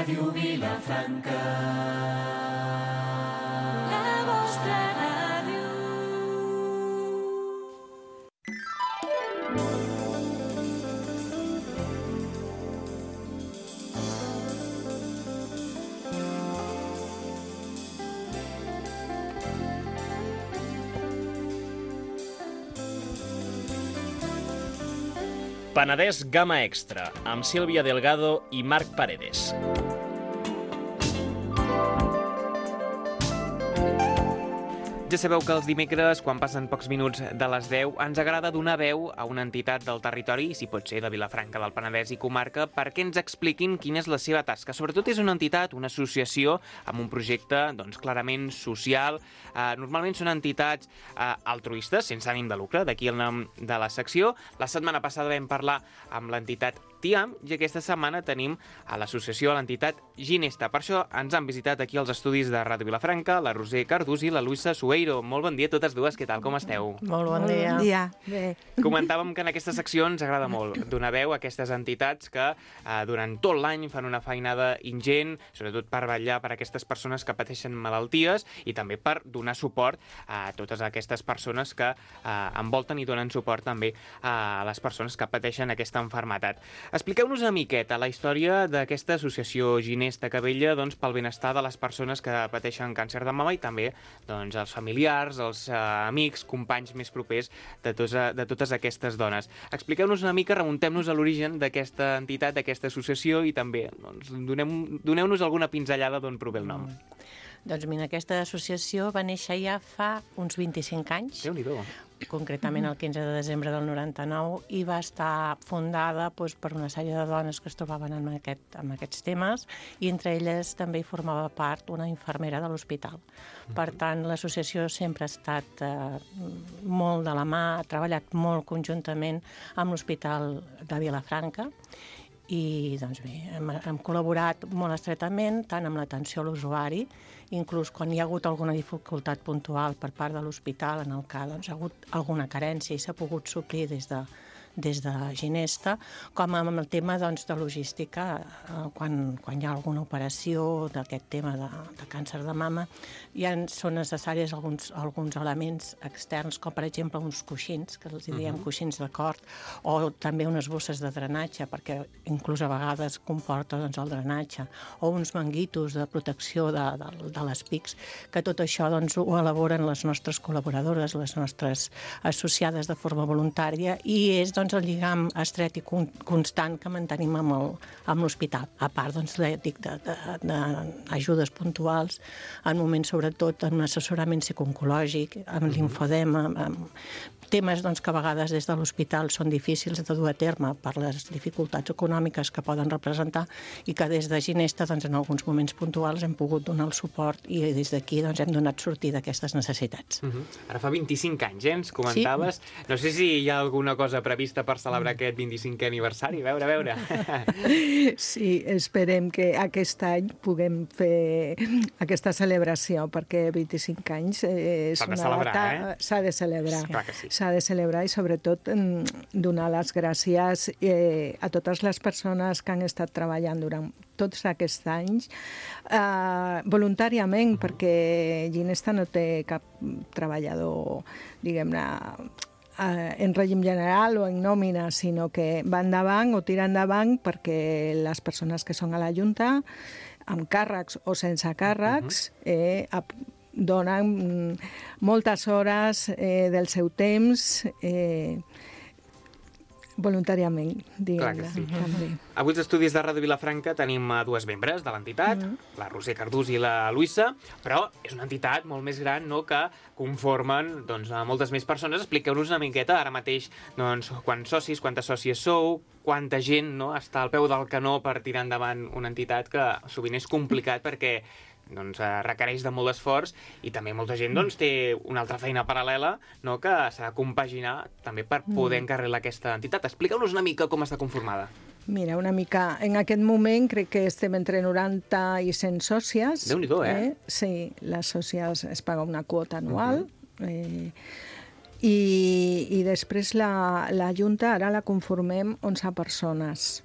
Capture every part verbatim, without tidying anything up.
Ràdio Vilafranca, la vostra ràdio. Penedès Gamma Extra, amb Sílvia Delgado i Marc Paredes. Ja sabeu que els dimecres, quan passen pocs minuts de les deu, ens agrada donar veu a una entitat del territori, si pot ser de Vilafranca del Penedès i comarca, perquè ens expliquin quina és la seva tasca. Sobretot és una entitat, una associació, amb un projecte doncs, clarament social. Eh, normalment són entitats eh, altruistes, sense ànim de lucre, d'aquí el nom de la secció. La setmana passada vam parlar amb l'entitat TIAM i aquesta setmana tenim a l'associació, a l'entitat Ginesta. Per això ens han visitat aquí als estudis de Ràdio Vilafranca la Roser Cardús i la Luisa Sueiro. Molt bon dia a totes dues, què tal, com esteu? Molt bon dia. Bon dia. Bé. Comentàvem que en aquesta secció ens agrada molt donar veu a aquestes entitats que eh, durant tot l'any fan una feinada ingent, sobretot per vetllar per aquestes persones que pateixen malalties i també per donar suport a totes aquestes persones que eh, envolten i donen suport també a les persones que pateixen aquesta malaltia. Expliqueu-nos una miqueta la història d'aquesta associació Ginesta que vetlla doncs, pel benestar de les persones que pateixen càncer de mama i també doncs, els familiars, els eh, amics, companys més propers de, tos, de totes aquestes dones. Expliqueu-nos una mica, remuntem-nos a l'origen d'aquesta entitat, d'aquesta associació i també doncs, donem, doneu-nos alguna pinzellada d'on prové el nom. Mm. Doncs mira, aquesta associació va néixer ja fa uns vint-i-cinc anys. Déu-n'hi-do. Concretament el quinze de desembre del noranta-nou, i va estar fundada doncs, per una sèrie de dones que es trobaven en, aquest, en aquests temes, i entre elles també hi formava part una infermera de l'hospital. Per tant, l'associació sempre ha estat eh, molt de la mà, ha treballat molt conjuntament amb l'Hospital de Vilafranca, i doncs bé, hem, hem col·laborat molt estretament tant amb l'atenció a l'usuari, inclús quan hi ha hagut alguna dificultat puntual per part de l'hospital, en el que doncs, ha hagut alguna carència i s'ha pogut suplir des de, des de Ginesta, com amb el tema doncs, de logística, eh, quan, quan hi ha alguna operació d'aquest tema de, de càncer de mama, ja són necessaris alguns, alguns elements externs, com per exemple uns coixins, que els diem uh-huh. coixins de cort, o també unes bosses de drenatge, perquè inclús a vegades comporta doncs, el drenatge, o uns manguitos de protecció de, de, de les pics, que tot això doncs, ho elaboren les nostres col·laboradores, les nostres associades de forma voluntària, i és doncs, el lligam estret i constant que mantenim amb, el, amb l'hospital. A part doncs, d'ajudes puntuals, en moments sobretot en un assessorament psicooncològic, amb linfodema, amb temes doncs, que a vegades des de l'hospital són difícils de dur a terme per les dificultats econòmiques que poden representar i que des de Ginesta doncs, en alguns moments puntuals hem pogut donar el suport i des d'aquí doncs, hem donat sortida a aquestes necessitats. Uh-huh. Ara fa vint-i-cinc anys, eh, ens comentaves. Sí. No sé si hi ha alguna cosa prevista per celebrar aquest vint-i-cinquè aniversari. A veure, a veure. Sí, esperem que aquest any puguem fer aquesta celebració, perquè vint-i-cinc anys eh, és S'ha de una celebrar, data... Eh? S'ha de celebrar. Sí. Clar que sí. S'ha de celebrar i sobretot donar les gràcies eh, a totes les persones que han estat treballant durant tots aquests anys eh, voluntàriament, uh-huh. perquè Ginesta no té cap treballador, diguem-ne, en règim general o en nòmina, sinó que va endavant o tira endavant perquè les persones que són a la Junta, amb càrrecs o sense càrrecs, eh, donen moltes hores eh, del seu temps eh, voluntàriament, diguem-ne. Sí. També. Avui als estudis de Ràdio Vilafranca tenim dues membres de l'entitat, mm-hmm. la Roser Cardús i la Luisa, però és una entitat molt més gran, no?, que conformen doncs, a moltes més persones. Expliqueu-nos una miqueta ara mateix doncs, quants socis, quantes sòcies sou, quanta gent no, està al peu del canó per tirar endavant una entitat que sovint és complicat perquè doncs, requereix de molt esforç i també molta gent doncs, té una altra feina paral·lela, no, que s'ha de compaginar també per poder encarrilar aquesta entitat. Expliqueu-nos una mica com està conformada. Mira, una mica... En aquest moment crec que estem entre noranta i cent sòcies. Déu-n'hi-do, eh? eh? Sí, les sòcies es paga una quota anual. Uh-huh. eh, i, I després la, la Junta ara la conformem onze persones.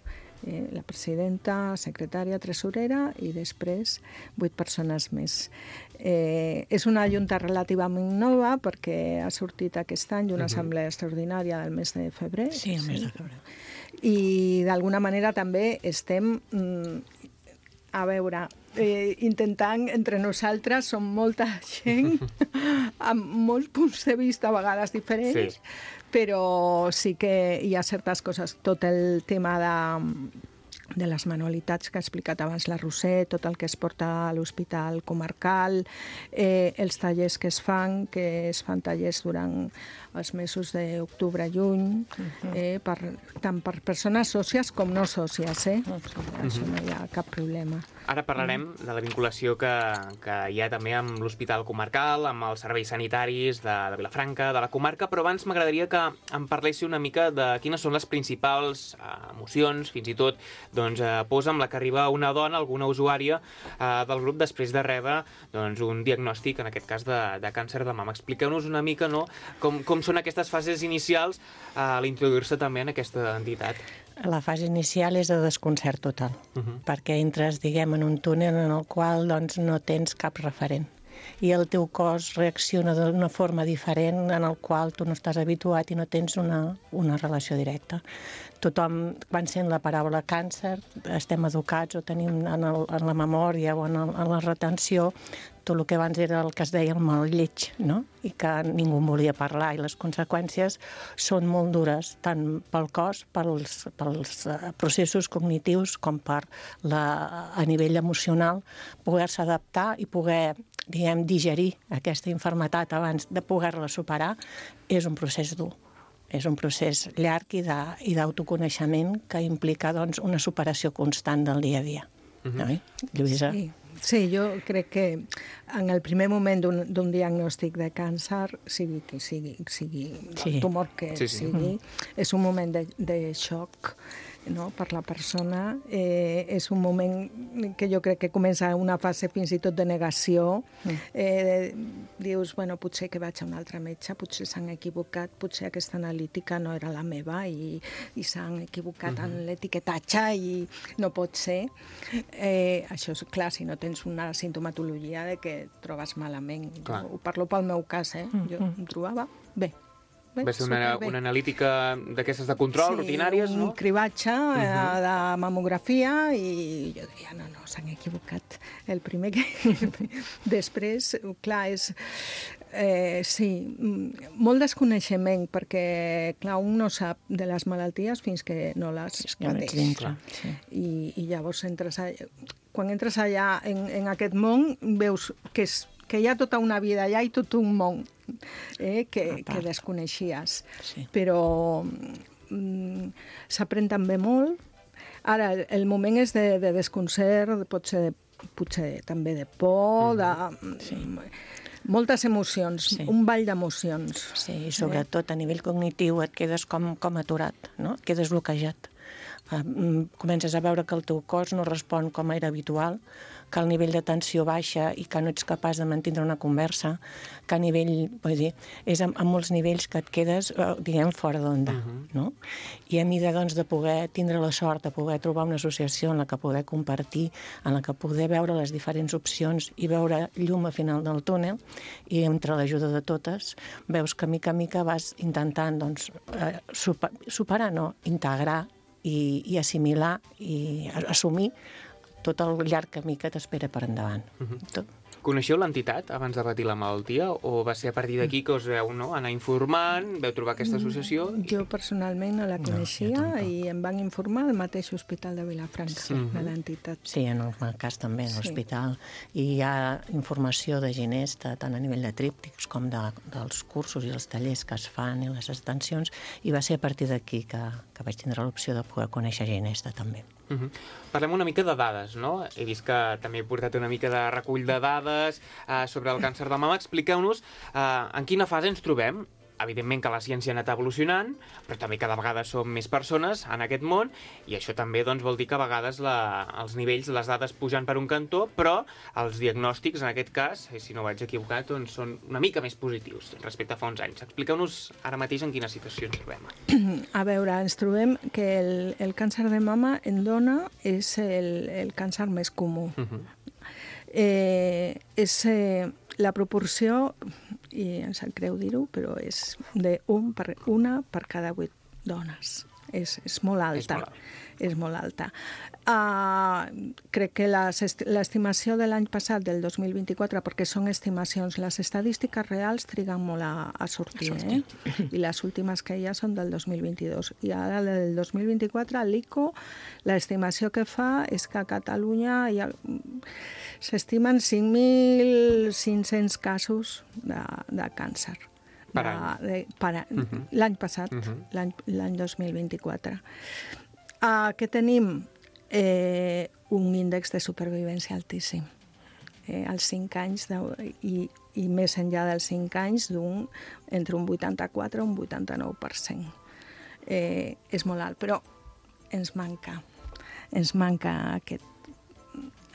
Eh, la presidenta, secretària, tresorera i després vuit persones més. Eh, és una junta relativament nova perquè ha sortit aquest any una assemblea extraordinària del mes de febrer. Sí, el mes de febrer. I d'alguna manera també estem, mm, a veure, eh, intentant entre nosaltres, som molta gent amb molts punts de vista a vegades diferents, sí. Però sí que hi ha certes coses. Tot el tema de, de les manualitats que ha explicat abans la Roser, tot el que es porta a l'hospital comarcal, eh, els tallers que es fan, que es fan tallers durant els mesos d'octubre i juny, eh, per, tant per persones sòcies com no sòcies, eh? Això no hi ha cap problema. Ara parlarem de la vinculació que, que hi ha també amb l'hospital comarcal, amb els serveis sanitaris de, de Vilafranca, de la comarca, però abans m'agradaria que em parléssiu una mica de quines són les principals eh, emocions, fins i tot doncs, eh, posa amb la que arriba una dona, alguna usuària eh, del grup després de rebre doncs, un diagnòstic, en aquest cas de, de càncer de mama. Expliqueu-nos una mica no, com, com són aquestes fases inicials eh, a l'introduir-se també en aquesta entitat. La fase inicial és de desconcert total, uh -huh. perquè entres, diguem, en un túnel en el qual doncs, no tens cap referent. I el teu cos reacciona d'una forma diferent en el qual tu no estàs habituat i no tens una, una relació directa. Tothom, quan sent la paraula càncer, estem educats o tenim en, el, en la memòria o en, el, en la retenció tot el que abans era el que es deia el mal lleig, no? I que ningú en volia parlar, i les conseqüències són molt dures, tant pel cos, pels, pels processos cognitius, com per la, a nivell emocional, poder-se adaptar i poder, diguem, digerir aquesta infermitat abans de poder-la superar, és un procés dur. És un procés llarg i d'autoconeixement que implica doncs, una superació constant del dia a dia. Uh-huh. No? Lluïsa? Sí. Sí, jo crec que en el primer moment d'un diagnòstic de càncer, sigui que sigui, sigui sí. el tumor que sí, sí. sigui, mm. és un moment de, de xoc, no?, per la persona. Eh, és un moment que jo crec que comença una fase fins i tot de negació. Mm. Eh, dius, bueno, potser que vaig a un altre metge, potser s'han equivocat, potser aquesta analítica no era la meva i, i s'han equivocat mm-hmm. en l'etiquetatge i no pot ser. Eh, això és clar, si no tens una sintomatologia de que et trobes malament. Clar. Jo ho parlo pel meu cas, eh? Mm-hmm. Jo em trobava bé. Va ser una, una analítica d'aquestes de control, sí, rutinàries, no? Sí, un cribatge uh-huh. de mamografia i jo deia, no, no, s'han equivocat. El primer que... Després, clar, és... Eh, sí, molt desconeixement, perquè, clar, un no sap de les malalties fins que no les pateix. Sí. I, I llavors entres allà, quan entres allà en, en aquest món, veus que, és, que hi ha tota una vida allà i tot un món eh, que, que desconeixies. Sí. Però mm, s'aprèn també molt. Ara, el moment és de, de desconcert, pot ser, potser també de por, mm. de... Sí. Moltes emocions, sí. Un ball d'emocions. Sí, i sobretot a nivell cognitiu et quedes com, com aturat, no? Et quedes bloquejat. Uh, comences a veure que el teu cos no respon com era habitual, que el nivell de tensió baixa i que no ets capaç de mantenir una conversa, que a nivell, vull dir, és a, a molts nivells que et quedes, uh, diguem, fora d'onda, uh-huh. no? I a mida, doncs, de poder tindre la sort de poder trobar una associació en la que poder compartir, en la que poder veure les diferents opcions i veure llum al final del túnel, i entre l'ajuda de totes, veus que mica a mica vas intentant, doncs, uh, super, superar, no? Integrar i, i assimilar i assumir tot el llarg camí que t'espera per endavant. Uh-huh. Tot. Coneixeu l'entitat abans de patir la malaltia o va ser a partir d'aquí que us veu no, anar informant, veu trobar aquesta associació? Jo personalment no la coneixia no, i em van informar al mateix hospital de Vilafranca, sí. de l'entitat. Sí, en el cas també, en l'hospital. Sí. I hi ha informació de Ginesta, tant a nivell de tríptics com de, dels cursos i els tallers que es fan i les extensions, i va ser a partir d'aquí que, que vaig tindre l'opció de poder conèixer Ginesta també. Uh-huh. Parlem una mica de dades, no? He vist que també he portat una mica de recull de dades uh, sobre el càncer de mama. Expliqueu-nos uh, en quina fase ens trobem evidentment que la ciència ha anat evolucionant, però també cada vegada som més persones en aquest món, i això també doncs, vol dir que a vegades la, els nivells, les dades pugen per un cantó, però els diagnòstics, en aquest cas, si no vaig equivocat, doncs, són una mica més positius respecte a fa uns anys. Expliqueu-nos ara mateix en quina situació ens trobem. A veure, ens trobem que el, el càncer de mama en dona és el, el càncer més comú. Uh-huh. eh, és eh, la proporció, i em sap greu dir-ho, però és de un per, una per cada vuit dones. És, és molt alta. És molt, és molt alta. Uh, crec que l'estimació de l'any passat, del dos mil vint-i-quatre, perquè són estimacions, les estadístiques reals triguen molt a, a sortir, a sortir. Eh? I les últimes que hi ha són del dos mil vint-i-dos. I ara, del dos mil vint-i-quatre, l'I C O, l'estimació que fa és que a Catalunya hi ha... s'estimen cinc mil cinc-cents casos de, de càncer. Per any. De, de, per, uh-huh. L'any passat, uh-huh. l'any dos mil vint-i-quatre. Uh, què tenim? Eh, un índex de supervivència altíssim. Eh, als cinc anys, de, i, i més enllà dels cinc anys, d'un, entre un vuitanta-quatre i un vuitanta-nou per cent. Eh, és molt alt, però ens manca. Ens manca aquest,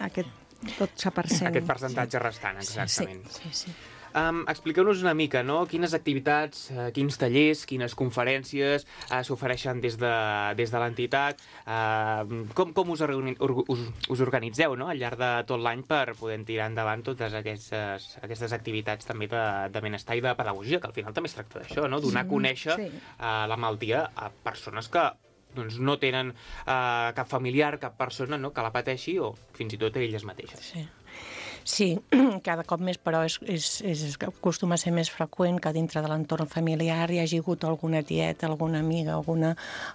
aquest dotze per cent. Aquest percentatge sí. restant, exactament. Sí, sí, sí. Um, expliqueu-nos una mica, no? Quines activitats, uh, quins tallers, quines conferències uh, s'ofereixen des de, des de l'entitat, uh, com, com us, us, us organitzeu, no? Al llarg de tot l'any per poder tirar endavant totes aquestes, aquestes activitats també de, de benestar i de pedagogia, que al final també es tracta d'això, no? Donar a conèixer sí. uh, la malaltia a persones que doncs, no tenen uh, cap familiar, cap persona no? que la pateixi, o fins i tot elles mateixes. Sí. Sí, cada cop més, però és, és, és, acostuma a ser més freqüent que dintre de l'entorn familiar hi hagi hagut alguna tieta, alguna amiga, alguna,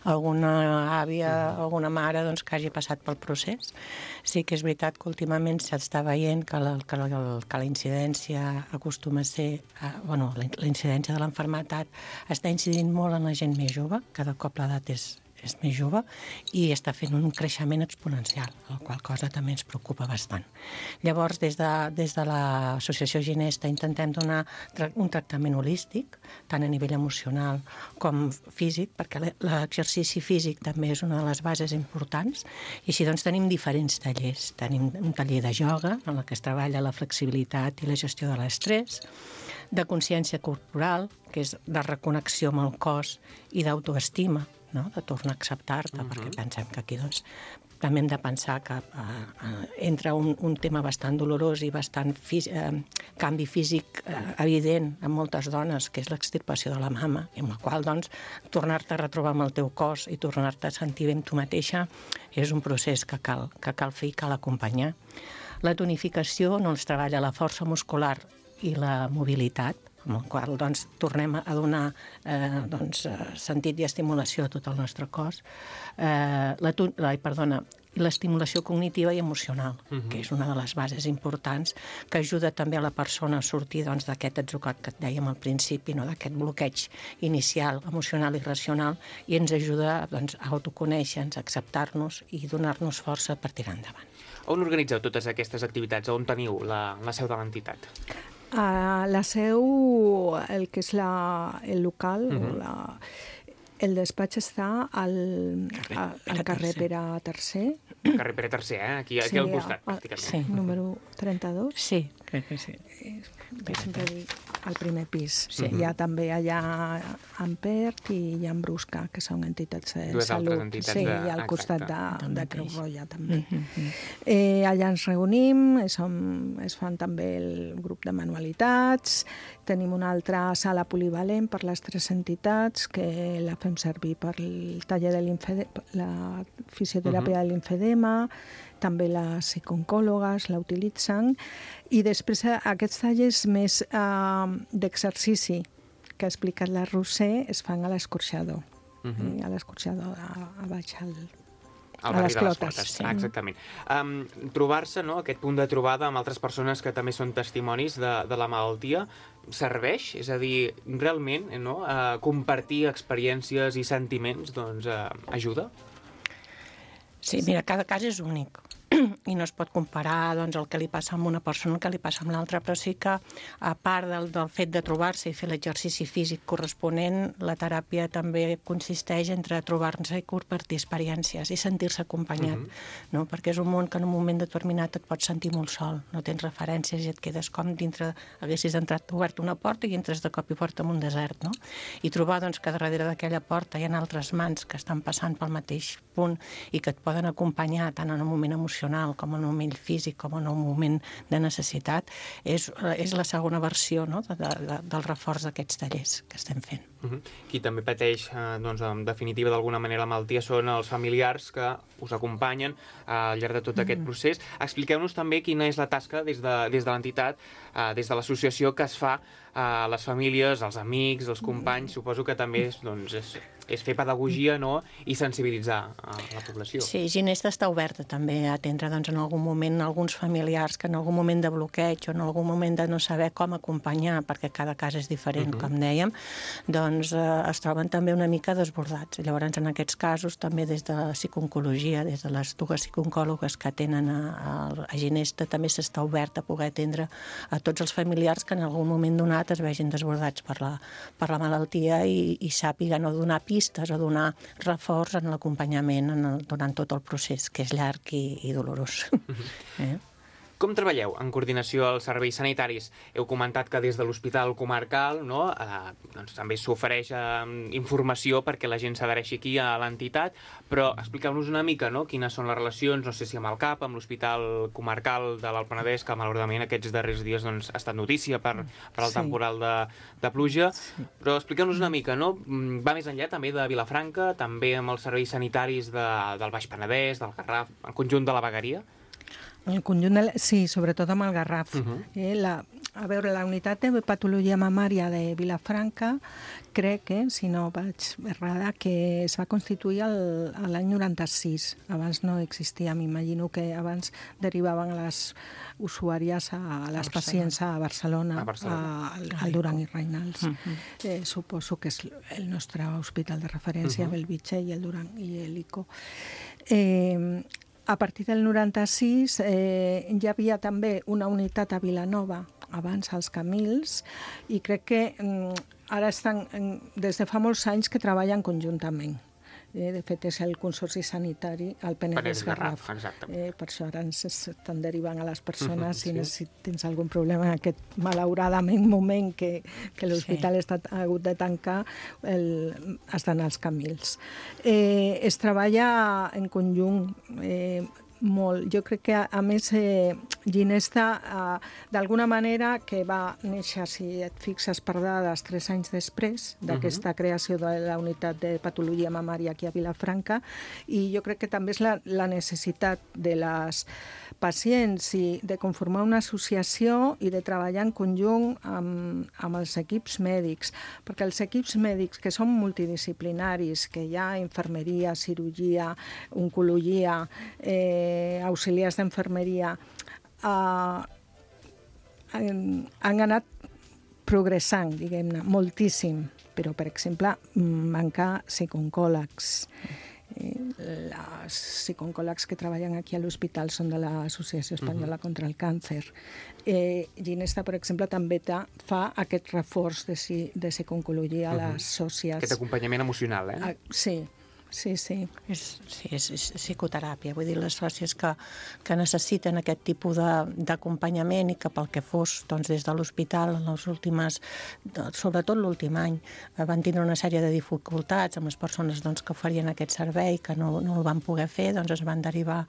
alguna àvia, uh-huh. alguna mare doncs, que hagi passat pel procés. Sí que és veritat que últimament s'està veient que la, que la, que la incidència acostuma a ser... Eh, bueno, la, la incidència de l'enfermetat està incidint molt en la gent més jove, cada cop l'edat és... és més jove i està fent un creixement exponencial, la qual cosa també ens preocupa bastant. Llavors, des de, des de l'associació Ginesta intentem donar un tractament holístic, tant a nivell emocional com físic, perquè l'exercici físic també és una de les bases importants, i així doncs tenim diferents tallers. Tenim un taller de ioga, en el que es treballa la flexibilitat i la gestió de l'estrès, de consciència corporal, que és de reconnexió amb el cos i d'autoestima, no? De tornar a acceptar-te, uh-huh. perquè pensem que aquí doncs, també hem de pensar que uh, uh, entra un, un tema bastant dolorós i bastant fí- uh, canvi físic uh, evident en moltes dones, que és l'extirpació de la mama, amb la qual doncs, tornar-te a retrobar amb el teu cos i tornar-te a sentir bé amb tu mateixa és un procés que cal, que cal fer i cal acompanyar. La tonificació no ens treballa la força muscular i la mobilitat, amb el qual doncs, tornem a donar eh, doncs, sentit i estimulació a tot el nostre cos. Eh, la, la, perdona, l'estimulació cognitiva i emocional, uh-huh. que és una de les bases importants, que ajuda també a la persona a sortir doncs, d'aquest atzucac que et dèiem al principi, no? D'aquest bloqueig inicial, emocional i racional, i ens ajuda doncs, a autoconèixer-nos, a acceptar-nos i donar-nos força per tirar endavant. On organitzeu totes aquestes activitats? On teniu la, la seu de l'entitat? Uh, la seu, el que és la, el local, uh-huh. la, el despatx està al, carrer, a, al carrer Pere tercer. Carrer Pere tercer, eh? Aquí, aquí sí, al costat, a, pràcticament. Sí, número trenta-dos. Sí, crec que sí. Jo sempre dic al primer pis. Sí. Uh-huh. Hi ha també allà Ampert i hi ha Brusca, que són entitats de Dues salut. Entitats sí, de... i al costat de, de, de Creu Roja també. Uh-huh. Eh, allà ens reunim, som, es fan també el grup de manualitats, tenim una altra sala polivalent per les tres entitats que la fem servir per el taller de l'infedema, la fisioteràpia uh-huh. de l'infedema, també les psicooncòlogues la utilitzen, i després aquests tallers més eh, d'exercici que ha explicat la Roser es fan a l'escorxador, uh-huh. a l'escorxador a, a baix al, al a les clotes. Les sí. Exactament. Um, trobar-se, no, aquest punt de trobada amb altres persones que també són testimonis de, de la malaltia, serveix? És a dir, realment, no, uh, compartir experiències i sentiments doncs, uh, ajuda? Sí, mira, cada cas és únic. i no es pot comparar doncs, el que li passa amb una persona el que li passa amb l'altra, però sí que a part del, del fet de trobar-se i fer l'exercici físic corresponent, la teràpia també consisteix entre trobar-se i compartir experiències i sentir-se acompanyat, uh-huh. no? Perquè és un món que en un moment determinat et pots sentir molt sol, no tens referències i et quedes com dintre, haguessis entrat, obert una porta i entres de cop i porta en un desert, no? I trobar doncs, que darrere d'aquella porta hi ha altres mans que estan passant pel mateix punt i que et poden acompanyar tant en un moment emocional com en un moment físic com en un moment de necessitat, és, és la segona versió, no? de, de, del reforç d'aquests tallers que estem fent. Uh-huh. Qui també pateix, eh, doncs, en definitiva, d'alguna manera la malaltia són els familiars que us acompanyen eh, al llarg de tot mm. aquest procés. Expliqueu-nos també quina és la tasca des de, des de l'entitat, eh, des de l'associació que es fa a les famílies, als amics, als companys. Suposo que també és, doncs, és, és fer pedagogia, no?, i sensibilitzar a la població. Sí, Ginesta està oberta també a atendre doncs, en algun moment alguns familiars que en algun moment de bloqueig o en algun moment de no saber com acompanyar, perquè cada cas és diferent, uh-huh. com dèiem, doncs eh, es troben també una mica desbordats. Llavors, en aquests casos, també des de la psicooncologia, des de les dues psicooncòlogues que atenen a, a, a Ginesta, també s'està obert a poder atendre a tots els familiars que en algun moment donat es vegin desbordats per la, per la malaltia i, i sàpiguen o donar pistes o donar reforç en l'acompanyament en el, durant tot el procés, que és llarg i, i dolorós. Uh-huh. eh? Com treballeu en coordinació als serveis sanitaris? Heu comentat que des de l'Hospital Comarcal, no, eh, doncs també s'ofereix eh, informació perquè la gent s'adhereixi aquí a l'entitat, però expliqueu-nos una mica, no?, quines són les relacions, no sé si amb el C A P, amb l'Hospital Comarcal de l'Alt Penedès, que malauradament aquests darrers dies doncs, ha estat notícia per, per el sí. temporal de, de pluja, sí. però expliqueu-nos una mica, no? Va més enllà també de Vilafranca, també amb els serveis sanitaris de, del Baix Penedès, del Garraf, el conjunt de la Vegueria? El conjunt de la... Sí, sobretot amb el Garraf. Uh-huh. eh, la... A veure, la unitat de patologia mamària de Vilafranca, crec, eh, si no vaig errada, que es va constituir el, l'any noranta-sis. Abans no existia, m'imagino que abans derivaven a les usuàries, a, a les a pacients a Barcelona, a Barcelona. A, al, al Duran i Reynals. Uh-huh. eh, suposo que és el nostre hospital de referència, uh-huh. Bellvitge i el Duran i l'Ico. Eh, A partir del noranta-sis eh, hi havia també una unitat a Vilanova, abans als Camils, i crec que mm, ara estan, des de fa molts anys que treballen conjuntament. Eh, de fet, és el Consorci Sanitari al Penedès Garraf. Eh, per això ara ens estan derivant a les persones uh-huh, sí. si tens algun problema en aquest, malauradament, moment que, que l'hospital sí. ha hagut de tancar, el, estan als Camils. Eh, es treballa en conjunt eh, molt. Jo crec que, a, a més, eh, Ginesta, eh, d'alguna manera, que va néixer, si et fixes per dades, tres anys després d'aquesta uh-huh. creació de la unitat de patologia mamària aquí a Vilafranca, i jo crec que també és la, la necessitat de les pacients i de conformar una associació i de treballar en conjunt amb, amb els equips mèdics, perquè els equips mèdics, que són multidisciplinaris, que hi ha infermeria, cirurgia, oncologia, eh, auxiliars d'infermeria, eh, han, han anat progressant, diguem-ne, moltíssim, però, per exemple, manca psicooncòlegs. Els psicooncòlegs que treballen aquí a l'hospital són de l'Associació Espanyola uh-huh. contra el Càncer. Eh, Ginesta, per exemple, també ta, fa aquest reforç de, de psicooncologia a les sòcies. Aquest acompanyament emocional, eh? Ah, sí. Sí, sí. És, sí, és, és psicoteràpia. Vull dir, les sòcies que, que necessiten aquest tipus d'acompanyament i que pel que fos, doncs, des de l'hospital, en les últimes, sobretot l'últim any, van tindre una sèrie de dificultats amb les persones doncs, que oferien aquest servei, que no, no el van poder fer, doncs es van derivar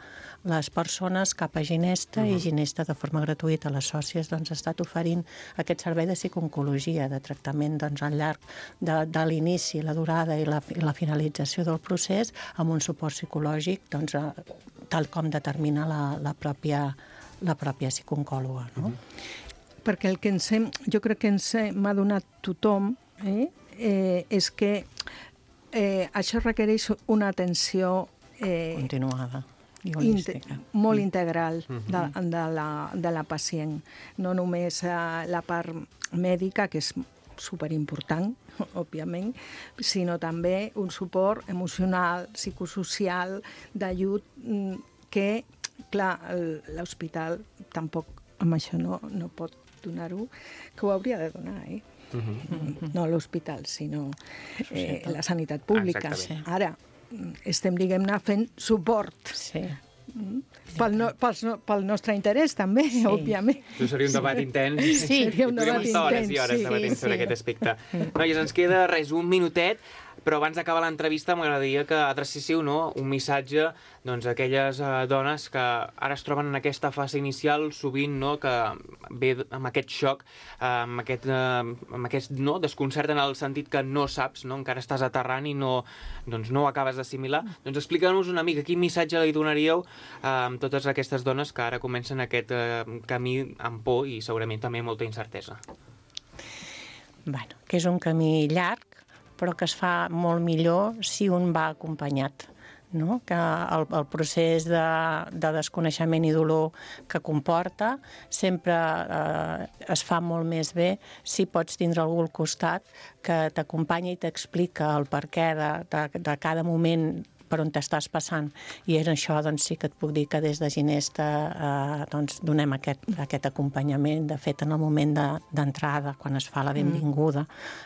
les persones cap a Ginesta uh-huh. i Ginesta, de forma gratuïta, les sòcies, doncs, ha estat oferint aquest servei de psicooncologia, de tractament doncs, al llarg de, de l'inici, la durada i la, i la finalització del procés amb un suport psicològic doncs, tal com determina la, la, pròpia, la pròpia psicooncòloga. No? Mm-hmm. Perquè el que ens hem, jo crec que ens m'ha donat tothom eh, eh, és que eh, això requereix una atenció eh, continuada i holística. Inte, molt integral de, de, la, de la pacient. No només eh, la part mèdica, que és superimportant, òbviament, sinó també un suport emocional, psicosocial, d'ajut que Clar, el- l'hospital tampoc amb això no, no pot donar-ho, que ho hauria de donar, eh? Mhm. No l'hospital, sinó eh, la sanitat pública. Exactament. Ara, estem, diguem-ne, fent suport Sí. pel, no, pels no, pel nostre interès, també, Sí. òbviament. Això seria un debat intens. Sí. Seria un Podríem debat estar hores i intens, hores sí, debatint sobre sí. aquest aspecte. Noies, ens queda res, un minutet, però abans d'acabar l'entrevista m'agradaria que adrecéssiu, no, un missatge doncs, a aquelles eh, dones que ara es troben en aquesta fase inicial, sovint no, que ve amb aquest xoc, eh, amb aquest, eh, amb aquest no, desconcert en el sentit que no saps, no, encara estàs aterrant i no, doncs, no ho acabes d'assimilar. Doncs expliqueu-nos una mica quin missatge li donaríeu eh, a totes aquestes dones que ara comencen aquest eh, camí amb por i segurament també molta incertesa. Bueno, que és un camí llarg, però que es fa molt millor si un va acompanyat. No? Que el, el procés de, de desconeixement i dolor que comporta sempre eh, es fa molt més bé si pots tindre algú al costat que t'acompanya i t'explica el perquè de, de, de cada moment per on t'estàs passant. I és això, doncs, sí que et puc dir que des de Ginesta eh, doncs, donem aquest, aquest acompanyament. De fet, en el moment d'entrada, de, quan es fa la benvinguda,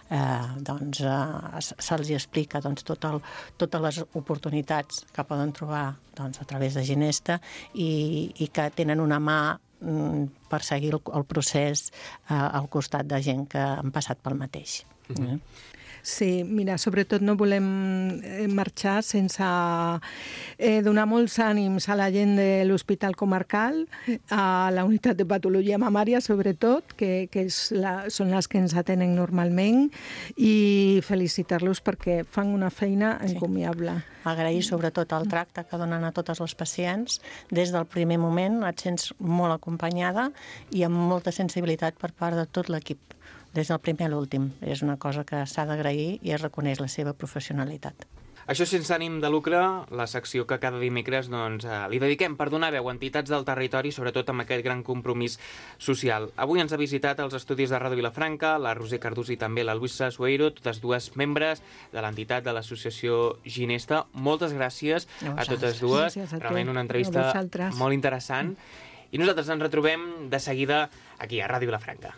eh, doncs eh, se'ls explica doncs, tot el, totes les oportunitats que poden trobar doncs, a través de Ginesta i, i que tenen una mà mm, per seguir el, el procés eh, al costat de gent que han passat pel mateix. Mm-hmm. eh? Sí, mira, sobretot no volem marxar sense eh, donar molts ànims a la gent de l'Hospital Comarcal, a la unitat de patologia mamària, sobretot, que, que és la, són les que ens atenen normalment, i felicitar-los perquè fan una feina encomiable. Agrair sobretot el tracte que donen a totes les pacients. Des del primer moment et sents molt acompanyada i amb molta sensibilitat per part de tot l'equip. Des del primer a l'últim. És una cosa que s'ha d'agrair i es reconeix la seva professionalitat. Això sense ànim de lucre, la secció que cada dimecres doncs, eh, li dediquem per donar veu a entitats del territori, sobretot amb aquest gran compromís social. Avui ens ha visitat als estudis de Ràdio Vilafranca la Roser Cardús i també la Luisa Sueiro, totes dues membres de l'entitat de l'associació Ginesta. Moltes gràcies a, a totes dues. Gràcies a tu. Realment una entrevista A vosaltres. molt interessant. I nosaltres ens retrobem de seguida aquí a Ràdio Vilafranca.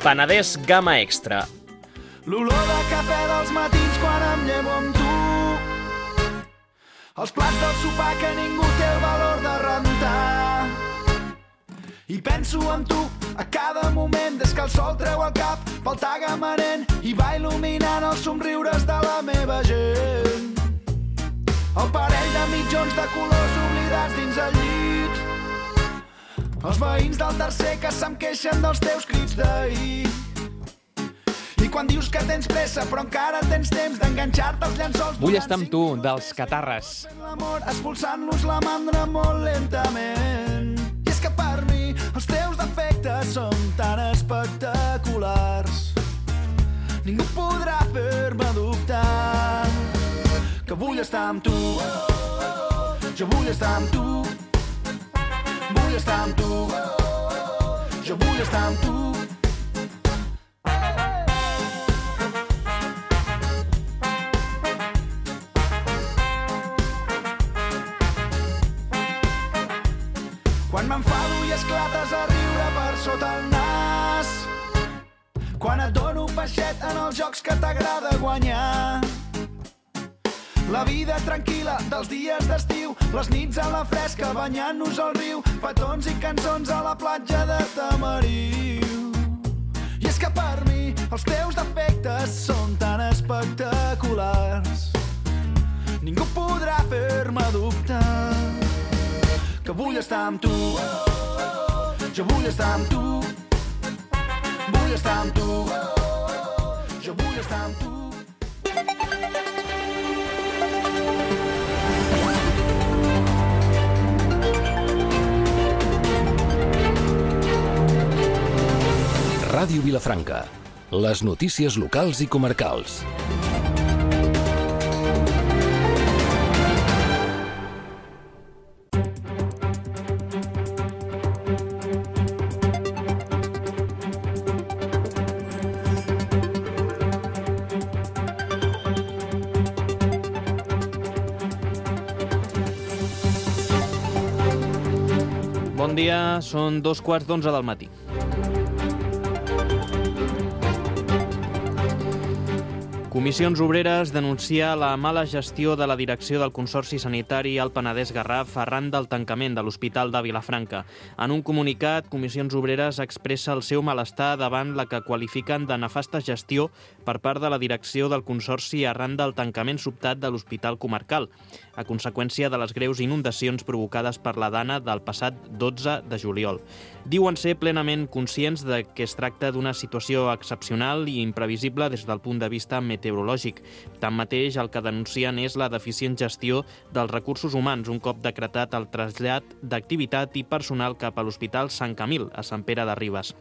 Penedès Gamma Extra. L'olor de cafè dels matins quan em llevo amb tu. Els plats del sopar que ningú té el valor de rentar. I penso en tu a cada moment des que el sol treu el cap pel tagamanent i va il·luminant els somriures de la meva gent. El parell de mitjons de colors oblidats dins el llit. Els veïns del tercer que se'm queixen dels teus crits d'ahir. I quan dius que tens pressa però encara tens temps d'enganxar-te els llençols... Vull estar amb tu, dels Catarres. L'amor expulsant-los la mandra molt lentament. I és que per mi els teus defectes són tan espectaculars. Ningú podrà fer-me dubtar que vull estar amb tu. Jo vull estar amb tu. Vull estar amb tu. Jo vull estar amb tu. Quan m'enfado i esclates a riure per sota el nas. Quan et dono peixet en els jocs que t'agrada guanyar. La vida tranquil·la dels dies d'estiu, les nits a la fresca banyant-nos al riu, petons i cançons a la platja de Tamariu. I és que per mi els teus defectes són tan espectaculars. Ningú podrà fer-me dubtar que vull estar amb tu. Jo vull estar amb tu. Vull estar amb tu. Jo vull estar amb tu. Ràdio Vilafranca. Les notícies locals i comarcals. Bon dia, són dos quarts d'onze del matí. Comissions Obreres denuncia la mala gestió de la direcció del Consorci Sanitari al Penedès-Garraf arran del tancament de l'Hospital de Vilafranca. En un comunicat, Comissions Obreres expressa el seu malestar davant la que qualifiquen de nefasta gestió per part de la direcció del Consorci arran del tancament sobtat de l'Hospital Comarcal, a conseqüència de les greus inundacions provocades per la Dana del passat dotze de juliol. Diuen ser plenament conscients de que es tracta d'una situació excepcional i imprevisible des del punt de vista meteorològic. Tanmateix, el que denuncien és la deficient gestió dels recursos humans un cop decretat el trasllat d'activitat i personal cap a l'Hospital Sant Camil, a Sant Pere de Ribes.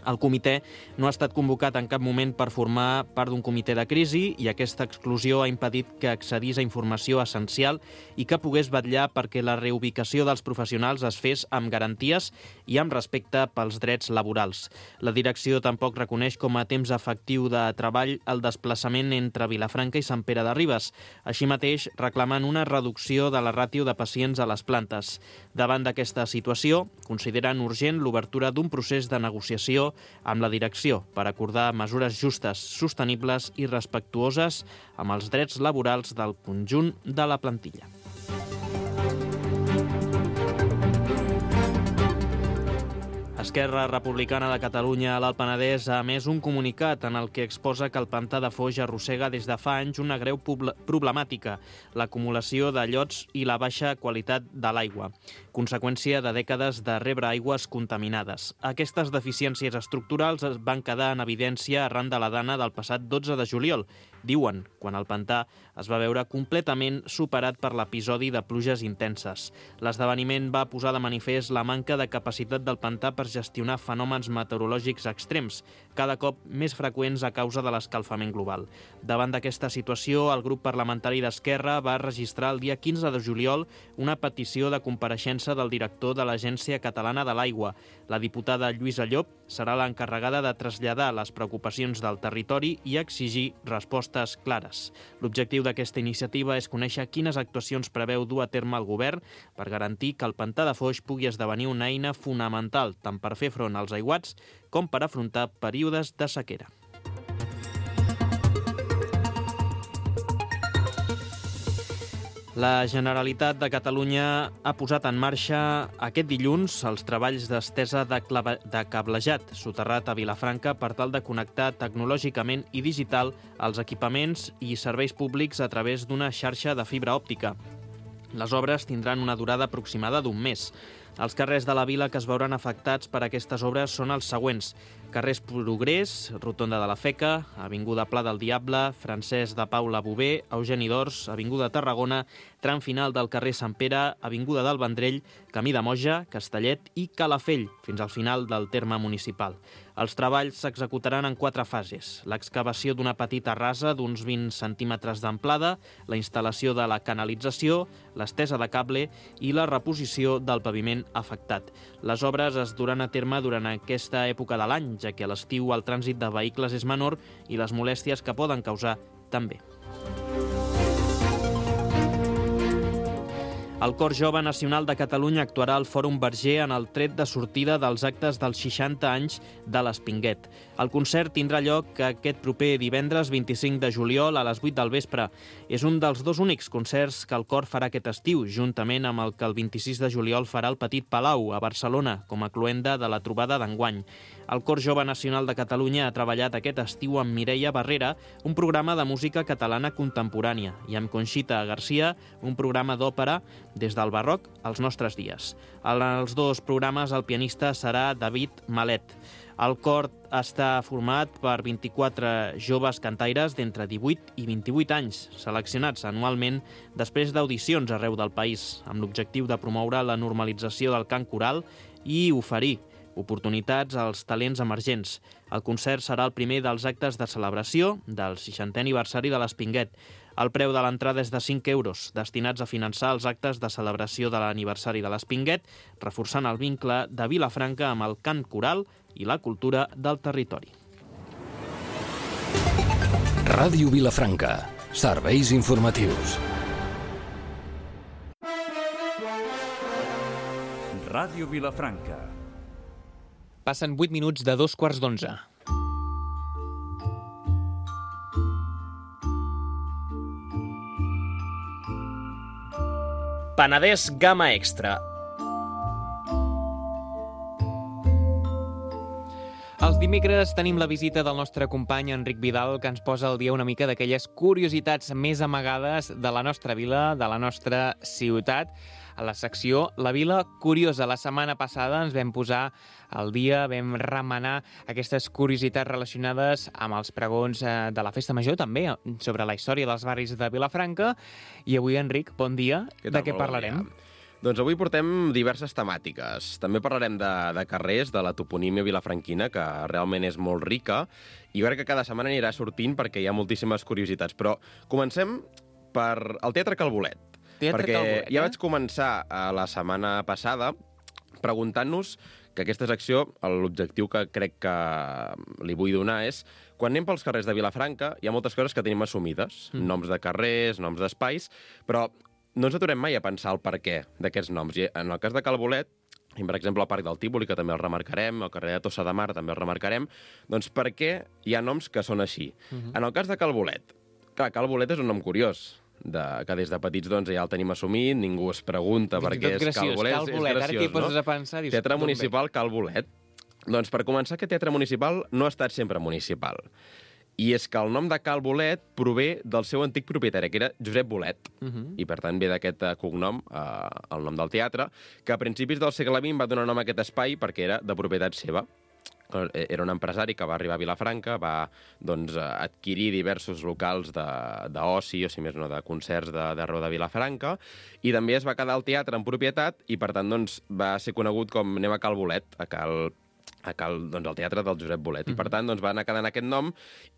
El comitè no ha estat convocat en cap moment per formar part d'un comitè de crisi i aquesta exclusió ha impedit que accedís a informació essencial i que pogués vetllar perquè la reubicació dels professionals es fes amb garanties i amb respecte pels drets laborals. La direcció tampoc reconeix com a temps efectiu de treball el desplaçament entre Vilafranca i Sant Pere de Ribes. Així mateix, reclamen una reducció de la ràtio de pacients a les plantes. Davant d'aquesta situació, consideren urgent l'obertura d'un procés de negociació amb la direcció per acordar mesures justes, sostenibles i respectuoses amb els drets laborals del conjunt de la plantilla. Esquerra Republicana de Catalunya a l'Alt Penedès ha emès un comunicat en el que exposa que el pantà de Foix arrossega des de fa anys una greu problemàtica, l'acumulació de llots i la baixa qualitat de l'aigua, conseqüència de dècades de rebre aigües contaminades. Aquestes deficiències estructurals es van quedar en evidència arran de la Dana del passat dotze de juliol, diuen, quan el pantà es va veure completament superat per l'episodi de pluges intenses. L'esdeveniment va posar de manifest la manca de capacitat del pantà per gestionar fenòmens meteorològics extrems, cada cop més freqüents a causa de l'escalfament global. Davant d'aquesta situació, el grup parlamentari d'Esquerra va registrar el dia quinze de juliol una petició de compareixença del director de l'Agència Catalana de l'Aigua. La diputada Lluïsa Llop serà l'encarregada de traslladar les preocupacions del territori i exigir respostes clares. L'objectiu d'aquesta iniciativa és conèixer quines actuacions preveu dur a terme el govern per garantir que el pantà de Foix pugui esdevenir una eina fonamental tant per fer front als aiguats com per afrontar períodes de sequera. La Generalitat de Catalunya ha posat en marxa aquest dilluns els treballs d'estesa de, de cablejat soterrat a Vilafranca per tal de connectar tecnològicament i digital els equipaments i serveis públics a través d'una xarxa de fibra òptica. Les obres tindran una durada aproximada d'un mes. Els carrers de la vila que es veuran afectats per aquestes obres són els següents: carrers Progrés, Rotonda de la Feca, Avinguda Pla del Diable, Francesc de Paula Bové, Eugeni d'Ors, Avinguda Tarragona, tram final del carrer Sant Pere, Avinguda del Vendrell, Camí de Moja, Castellet i Calafell, fins al final del terme municipal. Els treballs s'executaran en quatre fases: l'excavació d'una petita rasa d'uns vint centímetres d'amplada, la instal·lació de la canalització, l'estesa de cable i la reposició del paviment afectat. Les obres es duran a terme durant aquesta època de l'any, ja que a l'estiu el trànsit de vehicles és menor i les molèsties que poden causar també. El Cor Jove Nacional de Catalunya actuarà al Fòrum Verger en el tret de sortida dels actes dels seixanta anys de l'Espinguet. El concert tindrà lloc aquest proper divendres vint-i-cinc de juliol a les vuit del vespre. És un dels dos únics concerts que el Cor farà aquest estiu, juntament amb el que el vint-i-sis de juliol farà el Petit Palau, a Barcelona, com a cloenda de la trobada d'enguany. El Cor Jove Nacional de Catalunya ha treballat aquest estiu amb Mireia Barrera, un programa de música catalana contemporània, i amb Conxita Garcia, un programa d'òpera des del barroc als nostres dies. En els dos programes el pianista serà David Malet. El cor està format per vint-i-quatre joves cantaires d'entre divuit i vint-i-vuit anys, seleccionats anualment després d'audicions arreu del país, amb l'objectiu de promoure la normalització del cant coral i oferir oportunitats als talents emergents. El concert serà el primer dels actes de celebració del seixantè aniversari de l'Espinguet. El preu de l'entrada és de cinc euros, destinats a finançar els actes de celebració de l'aniversari de l'Espinguet, reforçant el vincle de Vilafranca amb el cant coral i la cultura del territori. Ràdio Vilafranca. Serveis informatius. Ràdio Vilafranca. Passen vuit minuts de dos quarts d'onze. Penedès Gamma Extra. Els dimecres tenim la visita del nostre company Enric Vidal, que ens posa al dia una mica d'aquelles curiositats més amagades de la nostra vila, de la nostra ciutat. A la secció La Vila Curiosa. La setmana passada ens vam posar al dia, vam remenar aquestes curiositats relacionades amb els pregons de la Festa Major, també sobre la història dels barris de Vilafranca. I avui, Enric, bon dia. Què tal? De què Molt bon parlarem? dia. Doncs avui portem diverses temàtiques. També parlarem de, de carrers, de la toponímia vilafranquina, que realment és molt rica, i jo crec que cada setmana anirà sortint perquè hi ha moltíssimes curiositats. Però comencem per el Teatre Calbolet. Teatre perquè Calbolet, ja eh? vaig començar a la setmana passada preguntant-nos que aquesta secció, l'objectiu que crec que li vull donar és, quan anem pels carrers de Vilafranca, hi ha moltes coses que tenim assumides, mm. noms de carrers, noms d'espais, però no ens aturem mai a pensar el per què d'aquests noms. I en el cas de Calbolet, i per exemple el Parc del Tívoli, que també el remarcarem, el carrer de Tossa de Mar també el remarcarem, doncs per què hi ha noms que són així? Mm-hmm. En el cas de Calbolet, clar, Calbolet és un nom curiós, de, que des de petits doncs, ja el tenim assumit, ningú es pregunta per què és graciós, Calbolet. Calbolet. És Ara t'hi poses a pensar... Dius, Teatre Municipal Calbolet. Doncs per començar, aquest teatre municipal no ha estat sempre municipal. I és que el nom de Cal Bolet prové del seu antic propietari, que era Josep Bolet, uh-huh. i per tant ve d'aquest uh, cognom, uh, el nom del teatre, que a principis del segle vint va donar nom a aquest espai perquè era de propietat seva. Era un empresari que va arribar a Vilafranca, va doncs, adquirir diversos locals d'oci, o si més no, de concerts d'arreu de, de Vilafranca, i també es va quedar el teatre en propietat i, per tant, doncs, va ser conegut com anem a Cal Bolet, a Cal a cal, doncs, el teatre del Josep Bolet. Mm-hmm. I, per tant, doncs, va anar quedant aquest nom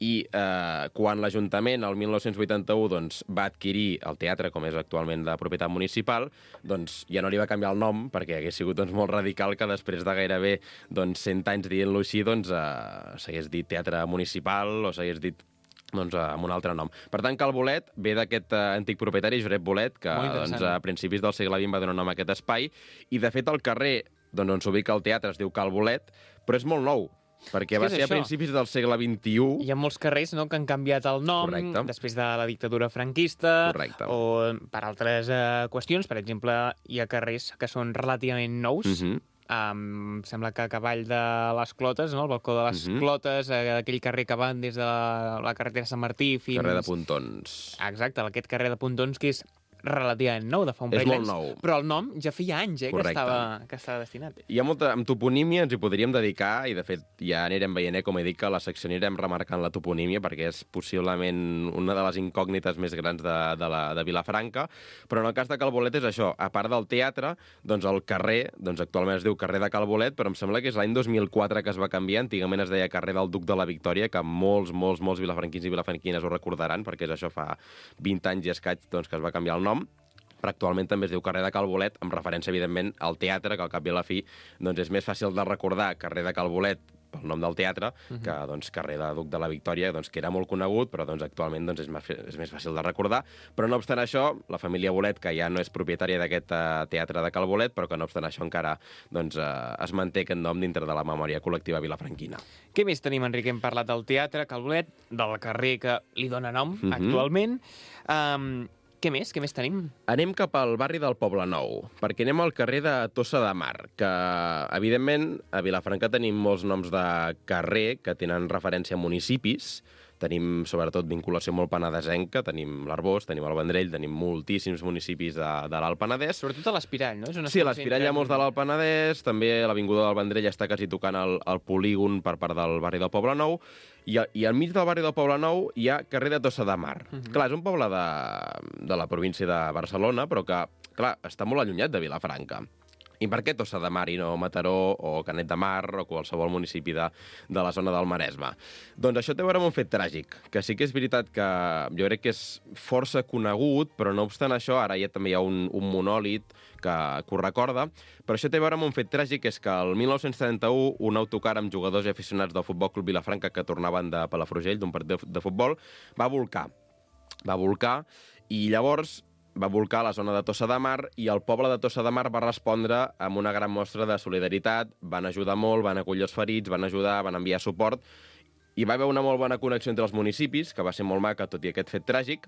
i eh, quan l'Ajuntament, el mil nou-cents vuitanta-u, doncs, va adquirir el teatre, com és actualment de propietat municipal, doncs ja no li va canviar el nom, perquè hagués sigut doncs, molt radical que després de gairebé doncs, cent anys dient-lo així doncs, eh, s'hagués dit teatre municipal o s'hagués dit doncs, amb un altre nom. Per tant, Cal Bolet ve d'aquest uh, antic propietari, Josep Bolet, que doncs, a principis del segle vint va donar nom a aquest espai, i de fet el carrer doncs, on s'ubica el teatre es diu Cal Bolet, però és molt nou, perquè va ser a principis del segle vint-i-u. Hi ha molts carrers no, que han canviat el nom Correcte. Després de la dictadura franquista Correcte. O per altres uh, qüestions. Per exemple, hi ha carrers que són relativament nous, mm-hmm. Um, sembla que a cavall de les Clotes, no? El balcó de les uh-huh. Clotes, aquell carrer que van des de la, la carretera Sant Martí fins... Carrer de Pontons. Exacte, aquest carrer de Pontons que és relativament nou, de fa un parell d'anys. És molt nou. Però el nom ja feia anys eh, que, estava, que estava destinat. Hi ha molta... Amb toponímia ens hi podríem dedicar, i de fet ja anirem veient, eh, com he dit, que a la secció anirem remarcant la toponímia, perquè és possiblement una de les incògnites més grans de, de, la, de Vilafranca, però en el cas de Cal Bolet és això, a part del teatre, doncs el carrer, doncs actualment es diu carrer de Cal Bolet, però em sembla que és l'any dos mil quatre que es va canviar, antigament es deia carrer del Duc de la Victòria, que molts, molts, molts vilafranquins i vilafranquines ho recordaran, perquè és això, fa vint anys i escaig doncs, que es va canviar el nom, però actualment també es diu carrer de Cal Bolet, amb referència, evidentment, al teatre, que al cap i a la fi doncs, és més fàcil de recordar carrer de Cal Bolet pel nom del teatre, uh-huh. que doncs, carrer de Duc de la Victòria, doncs, que era molt conegut, però doncs, actualment doncs, és, més, és més fàcil de recordar. Però no obstant això, la família Bolet, que ja no és propietària d'aquest uh, teatre de Cal Bolet, però que no obstant això encara doncs, uh, es manté aquest nom dintre de la memòria col·lectiva vilafranquina. Què més tenim, Enric? Hem parlat del teatre, Cal Bolet, del carrer que li dona nom uh-huh. actualment. Um, Què més? Què més tenim? Anem cap al barri del Poble Nou, perquè anem al carrer de Tossa de Mar, que, evidentment, a Vilafranca tenim molts noms de carrer que tenen referència a municipis. Tenim, sobretot, vinculació molt penedesenca, tenim l'Arbós, tenim el Vendrell, tenim moltíssims municipis de, de l'Alt Penedès. Sobretot a l'Espirall, no? És sí, a l'Espirall hi ha molts de l'Alt Penedès, també l'Avinguda del Vendrell està quasi tocant el, el polígon per part del barri del Poble Nou, i, i al mig del barri del Poble Nou hi ha carrer de Tossa de Mar. Uh-huh. Clar, és un poble de, de la província de Barcelona, però que, clar, està molt allunyat de Vilafranca. I per què Tossa de Mar i no Mataró o Canet de Mar o qualsevol municipi de, de la zona del Maresme? Doncs això té a veure amb un fet tràgic, que sí que és veritat que jo crec que és força conegut, però no obstant això, ara ja també hi ha un, un monòlit que, que ho recorda, però això té a veure amb un fet tràgic, que és que el mil nou-cents trenta-u un autocar amb jugadors i aficionats del Futbol Club Vilafranca que tornaven de Palafrugell, d'un partit de, de futbol, va volcar. Va volcar i llavors va volcar la zona de Tossa de Mar i el poble de Tossa de Mar va respondre amb una gran mostra de solidaritat, van ajudar molt, van acollir els ferits, van ajudar, van enviar suport, i va haver una molt bona connexió entre els municipis, que va ser molt maca, tot i aquest fet tràgic,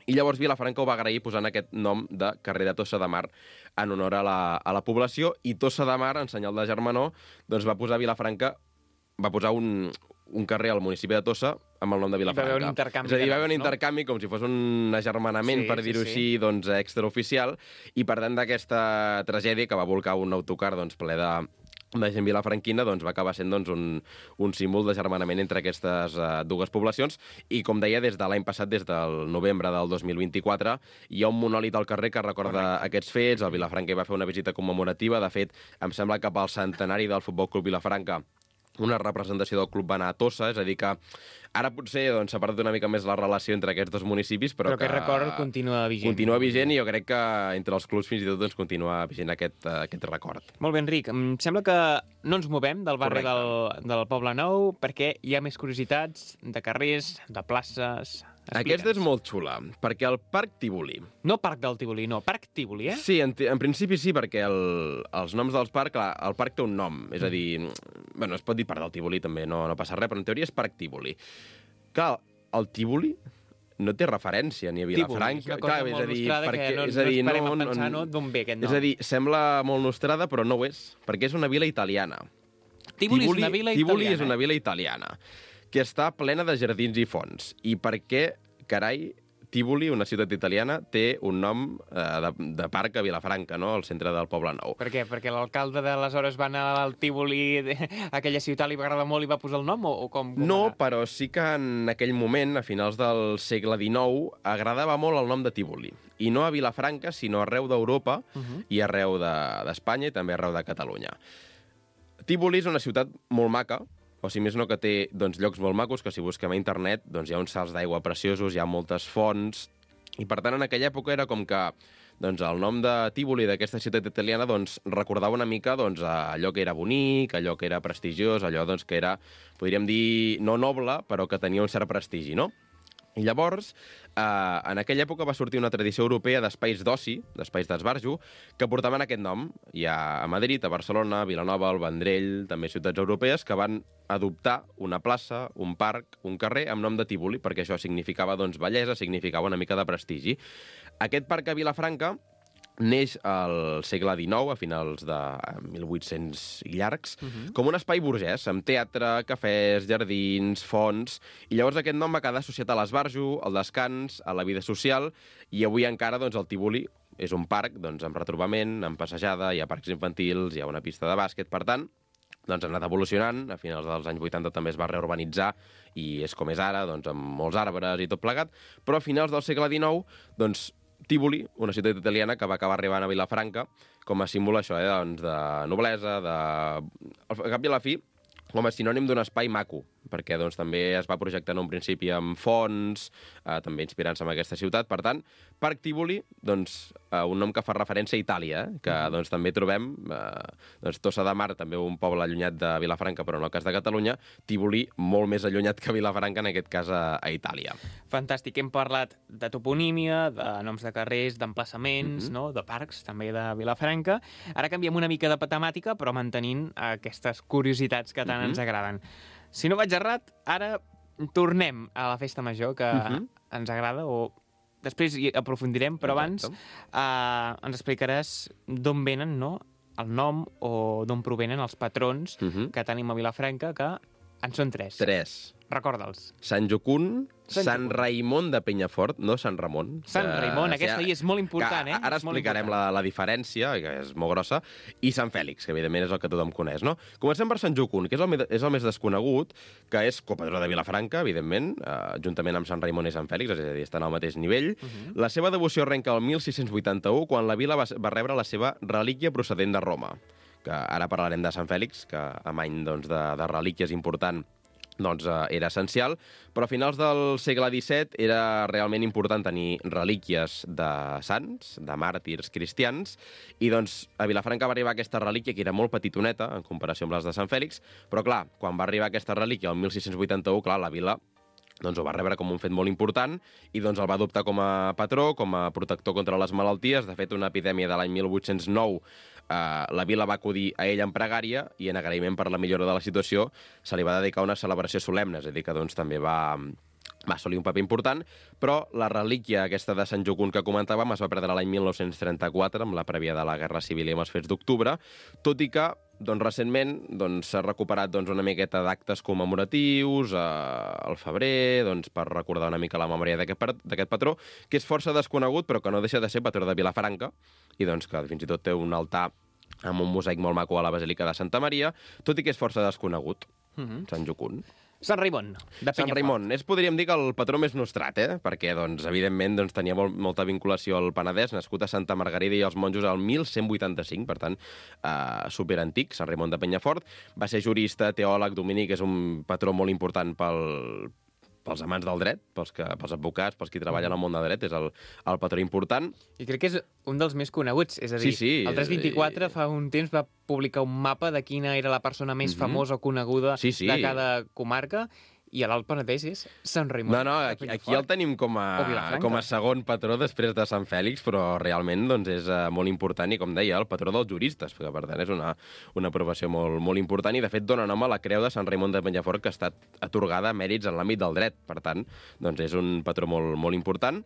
i llavors Vilafranca ho va agrair posant aquest nom de carrer de Tossa de Mar en honor a la, a la població, i Tossa de Mar, en senyal de germanor, doncs va posar Vilafranca, va posar un, un carrer al municipi de Tossa amb el nom de Vilafranca. I va haver un intercanvi. És a dir, va haver un no? intercanvi com si fos un agermanament, Sí, per sí, dir-ho sí. així, doncs, extraoficial, i per tant d'aquesta tragèdia que va volcar un autocar doncs, ple de, de gent vilafranquina, doncs, va acabar sent doncs, un, un símbol d'agermanament entre aquestes uh, dues poblacions, i com deia, des de l'any passat, des del novembre del dos mil vint-i-quatre, hi ha un monòlit al carrer que recorda Correcte. Aquests fets. El Vilafranca hi va fer una visita commemorativa. De fet, em sembla que pel centenari del Futbol Club Vilafranca una representació del club va anar a Tossa, és a dir que ara potser doncs, s'ha perdut una mica més la relació entre aquests dos municipis, però, Però aquest record continua vigent. Continua vigent, i jo crec que entre els clubs fins i tot doncs, continua vigent aquest, uh, aquest record. Molt bé, Enric. Em sembla que no ens movem del barri del, del Poble Nou perquè hi ha més curiositats de carrers, de places... Aquesta és molt xula, perquè el Parc Tívoli... No Parc del Tívoli, no, Parc Tívoli, eh? Sí, en, en principi sí, perquè el, els noms dels parcs, clar, el parc té un nom, és a dir, bueno, es pot dir Parc del Tívoli també, no, no passa res, però en teoria és Parc Tívoli. Clar, el Tívoli no té referència ni a Vilafranca... Tívoli, és una cosa clar, molt és a dir, nostrada perquè, que no, és a dir, no ens parem no, a pensar no, d'on ve aquest nom. És a dir, sembla molt nostrada, però no ho és, perquè és una vila italiana. Tívoli, Tívoli és una vila Tívoli italiana. és una vila italiana, que està plena de jardins i fonts. I per què, carai, Tívoli, una ciutat italiana, té un nom eh, de, de parc a Vilafranca, no?, al centre del Poble Nou. Per què? Perquè l'alcalde d'aleshores va anar al Tívoli, a aquella ciutat li va agradar molt i va posar el nom, o, o com? com No, va? però sí que en aquell moment, a finals del segle dinou, agradava molt el nom de Tívoli. I no a Vilafranca, sinó arreu d'Europa uh -huh. i arreu d'Espanya de, i també arreu de Catalunya. Tívoli és una ciutat molt maca, o si més no que té doncs, llocs molt macos, que si busquem a internet doncs, hi ha uns salts d'aigua preciosos, hi ha moltes fonts, i per tant en aquella època era com que doncs, el nom de Tívoli, d'aquesta ciutat italiana, doncs, recordava una mica doncs, allò que era bonic, allò que era prestigiós, allò doncs, que era, podríem dir, no noble, però que tenia un cert prestigi, no? I llavors, eh, en aquella època va sortir una tradició europea d'espais d'oci, d'espais d'esbarjo, que portaven aquest nom. Hi ha a Madrid, a Barcelona, a Vilanova, al Vendrell, també ciutats europees, que van adoptar una plaça, un parc, un carrer amb nom de Tívoli, perquè això significava doncs, bellesa, significava una mica de prestigi. Aquest parc a Vilafranca neix al segle dinou, a finals de mil vuit-cents i llargs, uh -huh. com un espai burgès, amb teatre, cafès, jardins, fonts, i llavors aquest nom va quedar associat a l'esbarjo, al descans, a la vida social, i avui encara doncs, el Tívoli és un parc doncs, amb retrobament, amb passejada, hi ha parcs infantils, hi ha una pista de bàsquet, per tant, doncs ha anat evolucionant, a finals dels anys vuitanta també es va reurbanitzar i és com és ara, doncs, amb molts arbres i tot plegat, però a finals del segle dinou, doncs, Tívoli, una ciutat italiana que va acabar arribant a Vilafranca com a símbol això, eh, doncs, de noblesa, de... al cap i a la fi, com a sinònim d'un espai maco, perquè doncs, també es va projectar en un principi amb fonts, eh, també inspirant-se en aquesta ciutat. Per tant, Parc Tívoli, doncs, eh, un nom que fa referència a Itàlia, eh, que doncs, també trobem eh, doncs, Tossa de Mar, també un poble allunyat de Vilafranca, però en el cas de Catalunya, Tívoli molt més allunyat que Vilafranca, en aquest cas a, a Itàlia. Fantàstic. Hem parlat de toponímia, de noms de carrers, d'emplaçaments, Mm-hmm. no? De parcs, també de Vilafranca. Ara canviem una mica de temàtica, però mantenint aquestes curiositats que tant Mm-hmm. ens agraden. Si no vaig errat, ara tornem a la festa major, que Mm-hmm. ens agrada, o després hi aprofundirem, però abans Exacte. eh, ens explicaràs d'on venen, no?, el nom o d'on provenen els patrons Mm-hmm. que tenim a Vilafranca, que en són tres. Tres. Recorda'ls. Sant Jocund, Sant Sant Jocund. Raimon de Penyafort, no Sant Ramon. Sant que- Raimon, aquesta sí, hi és molt important, que eh? Ara És molt explicarem important. la, la diferència, que és molt grossa, i Sant Fèlix, que evidentment és el que tothom coneix, no? Comencem per Sant Jocund, que és el, me- és el més desconegut, que és copadró de Vilafranca, evidentment, eh, juntament amb Sant Raimon i Sant Fèlix, és a dir, estan al mateix nivell. Uh -huh. La seva devoció arrenca el mil sis-cents vuitanta-u, quan la vila va, va rebre la seva relíquia procedent de Roma, que ara parlarem de Sant Fèlix, que amb any doncs, de, de relíquies important doncs, eh, era essencial, però a finals del segle disset era realment important tenir relíquies de sants, de màrtirs cristians, i doncs a Vilafranca va arribar aquesta relíquia, que era molt petitoneta en comparació amb les de Sant Fèlix, però clar, quan va arribar aquesta relíquia el mil sis-cents vuitanta-u, clar, la vila doncs ho va rebre com un fet molt important i doncs el va adoptar com a patró, com a protector contra les malalties. De fet, una epidèmia de l'any mil vuit-cents nou, eh, la vila va acudir a ell en pregària i en agraïment per la millora de la situació se li va dedicar una celebració solemne, és a dir, que doncs, també va... va assolir un paper important, però la relíquia aquesta de Sant Jocund que comentàvem es va perdre l'any mil nou-cents trenta-quatre, amb la prèvia de la Guerra Civil i amb els fets d'octubre, tot i que doncs, recentment s'ha doncs, recuperat doncs, una miqueta d'actes commemoratius eh, al febrer, doncs, per recordar una mica la memòria d'aquest patró, que és força desconegut, però que no deixa de ser patró de Vilafranca, i doncs, que fins i tot té un altar amb un mosaic molt maco a la Basílica de Santa Maria, tot i que és força desconegut, mm-hmm. Sant Jocund. Sant Raimon, de Penyafort. Sant Raimon. És, podríem dir, que el patró més nostrat, eh? Perquè, doncs, evidentment, doncs, tenia molt, molta vinculació al Penedès, nascut a Santa Margarida i els monjos al mil cent vuitanta-cinc, per tant, eh, superantic, Sant Raimon de Penyafort. Va ser jurista, teòleg, dominic, és un patró molt important pel, pels amants del dret, pels, que, pels advocats, pels qui treballen al món del dret, és el, el patró important. I crec que és un dels més coneguts, és a dir, sí, sí, el tres vint-i-quatre fa un temps va publicar un mapa de quina era la persona més mm-hmm. famosa o coneguda sí, sí. de cada comarca, i a l'Alt Penedès és Sant Raimon. No, no, aquí, aquí el tenim com a, com a segon patró després de Sant Fèlix, però realment doncs, és uh, molt important i, com deia, el patró dels juristes, que per tant és una, una aprovació molt, molt important i, de fet, dona nom a la Creu de Sant Raimon de Penyafort, que ha estat atorgada a mèrits en l'àmbit del dret. Per tant, doncs, és un patró molt, molt important.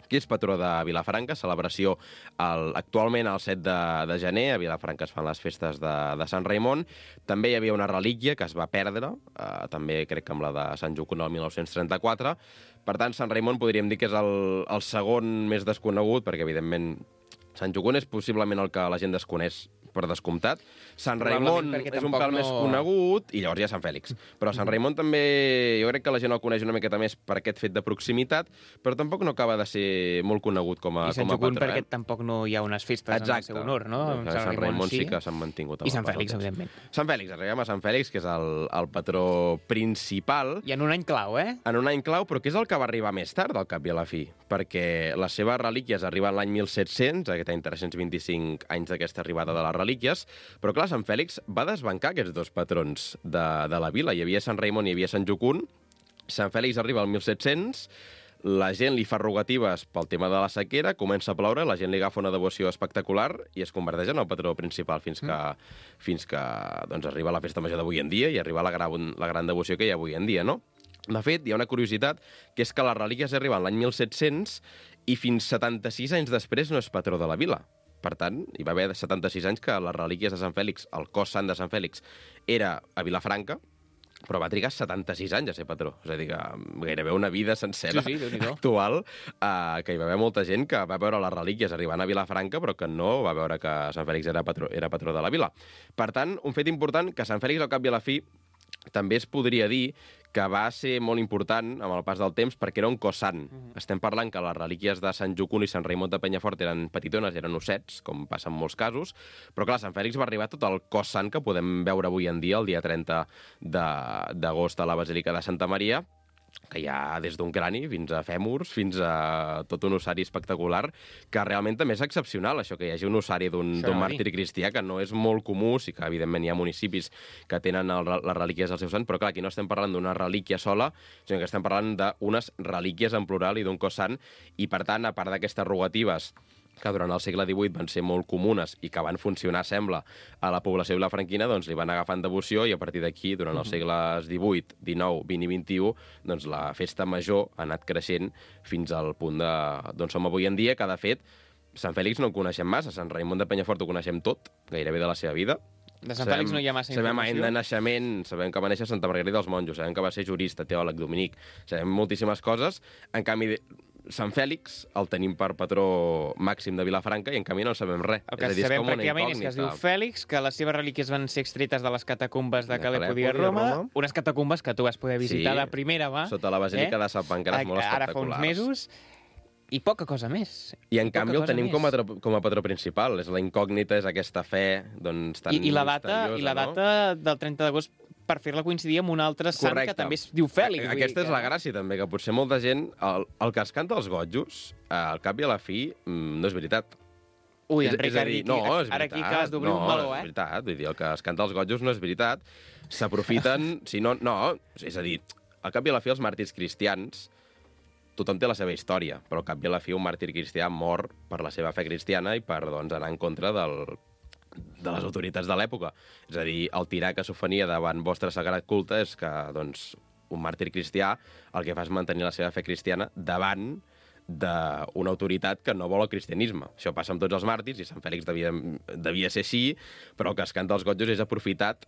Qui és patró de Vilafranca, celebració el, actualment el set de, de gener, a Vilafranca es fan les festes de, de Sant Raimon. També hi havia una relíquia que es va perdre, eh, també crec que amb la de Sant Jocund el mil nou-cents trenta-quatre. Per tant, Sant Raimon podríem dir que és el, el segon més desconegut, perquè evidentment Sant Jocund és possiblement el que la gent desconeix per descomptat. Sant Raimon és un pèl no... més conegut, i llavors hi ha Sant Fèlix. Però Sant Raimon també, jo crec que la gent el coneix una miqueta més per aquest fet de proximitat, però tampoc no acaba de ser molt conegut com a, I Sant com a Jocund patró. perquè tampoc no hi ha unes festes Exacte. En el seu honor, no? Sant, Sant Raimon, Raimon sí que s'han mantingut. I Sant Fèlix, evidentment. Sant Fèlix, arribem a Sant Fèlix, que és el, el patró principal. I en un any clau, eh? En un any clau, però que és el que va arribar més tard, al cap i a la fi, perquè les seves relíquies arriben l'any mil set-cents, aquest any tres-cents vint-i-cinc anys d'aquesta arribada de les relíquies. Però, clar, Sant Fèlix va desbancar aquests dos patrons de, de la vila. Hi havia Sant Raimon i hi havia Sant Jocund. Sant Fèlix arriba al mil set-cents, la gent li fa rogatives pel tema de la sequera, comença a ploure, la gent li agafa una devoció espectacular i es converteix en el patró principal fins que, mm. fins que doncs, arriba la festa major d'avui en dia i arriba la gran, la gran devoció que hi ha avui en dia, no? De fet, hi ha una curiositat, que és que les relíquies arriben l'any mil set-cents i fins setanta-sis anys després no és patró de la vila. Per tant, hi va haver setanta-sis anys que les relíquies de Sant Fèlix, el cos sant de Sant Fèlix, era a Vilafranca, però va trigar setanta-sis anys a ser patró. És a dir, que gairebé una vida sencera sí, sí, actual, eh, que hi va haver molta gent que va veure les relíquies arribant a Vilafranca, però que no va veure que Sant Fèlix era patró, era patró de la vila. Per tant, un fet important, que Sant Fèlix, al cap i a la fi, també es podria dir que va ser molt important amb el pas del temps perquè era un cos sant. Mm-hmm. Estem parlant que les relíquies de Sant Jocund i Sant Raimon de Penyafort eren petitones, eren ossets, com passa en molts casos, però clar, Sant Fèlix va arribar tot el cos sant que podem veure avui en dia, el dia trenta d'agost a la Basílica de Santa Maria, que hi ha des d'un crani fins a fèmurs, fins a tot un ossari espectacular, que realment també és excepcional, això que hi hagi un ossari d'un màrtir cristià, que no és molt comú, sí que evidentment hi ha municipis que tenen el, les relíquies del seu sant, però clar, aquí no estem parlant d'una relíquia sola, sinó que estem parlant d'unes relíquies en plural i d'un cos sant, i per tant, a part d'aquestes rogatives que durant el segle divuit van ser molt comunes i que van funcionar, sembla, a la població vilafranquina, doncs li van agafant devoció i a partir d'aquí, durant els segles divuit, dinou, vint i vint-i-u, doncs la festa major ha anat creixent fins al punt de, d'on som avui en dia, que de fet, Sant Fèlix no el coneixem massa, Sant Raimon de Penyafort ho coneixem tot, gairebé de la seva vida. De Sant Fèlix no hi ha massa sabem informació. Sabem any de naixement, sabem que va néixer a Santa Margarida dels Monjos, sabem que va ser jurista, teòleg, dominic, sabem moltíssimes coses, en canvi Sant Fèlix el tenim per patró màxim de Vilafranca i en canvi no en sabem res. El que és a dir, sabem és pràcticament és que es diu Fèlix, que les seves relíquies van ser extretes de les catacumbes de Calèpode a Roma, Roma, unes catacumbes que tu vas poder visitar sí, de primera mà. Sota la Basílica eh? de Sant Pancraç, molt espectaculars. Ara fa uns mesos, i poca cosa més. I en canvi el tenim com a, com a patró principal. És la incògnita, és aquesta fe doncs, tan I, i la data, misteriosa, i la data no? del trenta d'agost per fer-la coincidir amb un altre sant Correcte. Que també es diu Fèlix. Aquesta és que... la gràcia, també, que potser molta gent... El, el que es canta als gotjos, al cap i a la fi, no és veritat. Ui, és, Enric, és a dir, no, és ara aquí acabes d'obrir no, un meló, eh? No, és veritat. Vull dir, el que es canta als gotjos no és veritat. S'aprofiten... si no, no, és a dir, al cap i a la fi els màrtirs cristians, tothom té la seva història, però al cap i a la fi un màrtir cristià mor per la seva fe cristiana i per doncs, anar en contra del, de les autoritats de l'època. És a dir, el tirà que s'ofenia davant vostre sagrat culte és que doncs, un màrtir cristià el que fa és mantenir la seva fe cristiana davant d'una autoritat que no vol el cristianisme. Això passa amb tots els màrtirs, i Sant Fèlix devia, devia ser així, però el que es canta als gotjos és aprofitat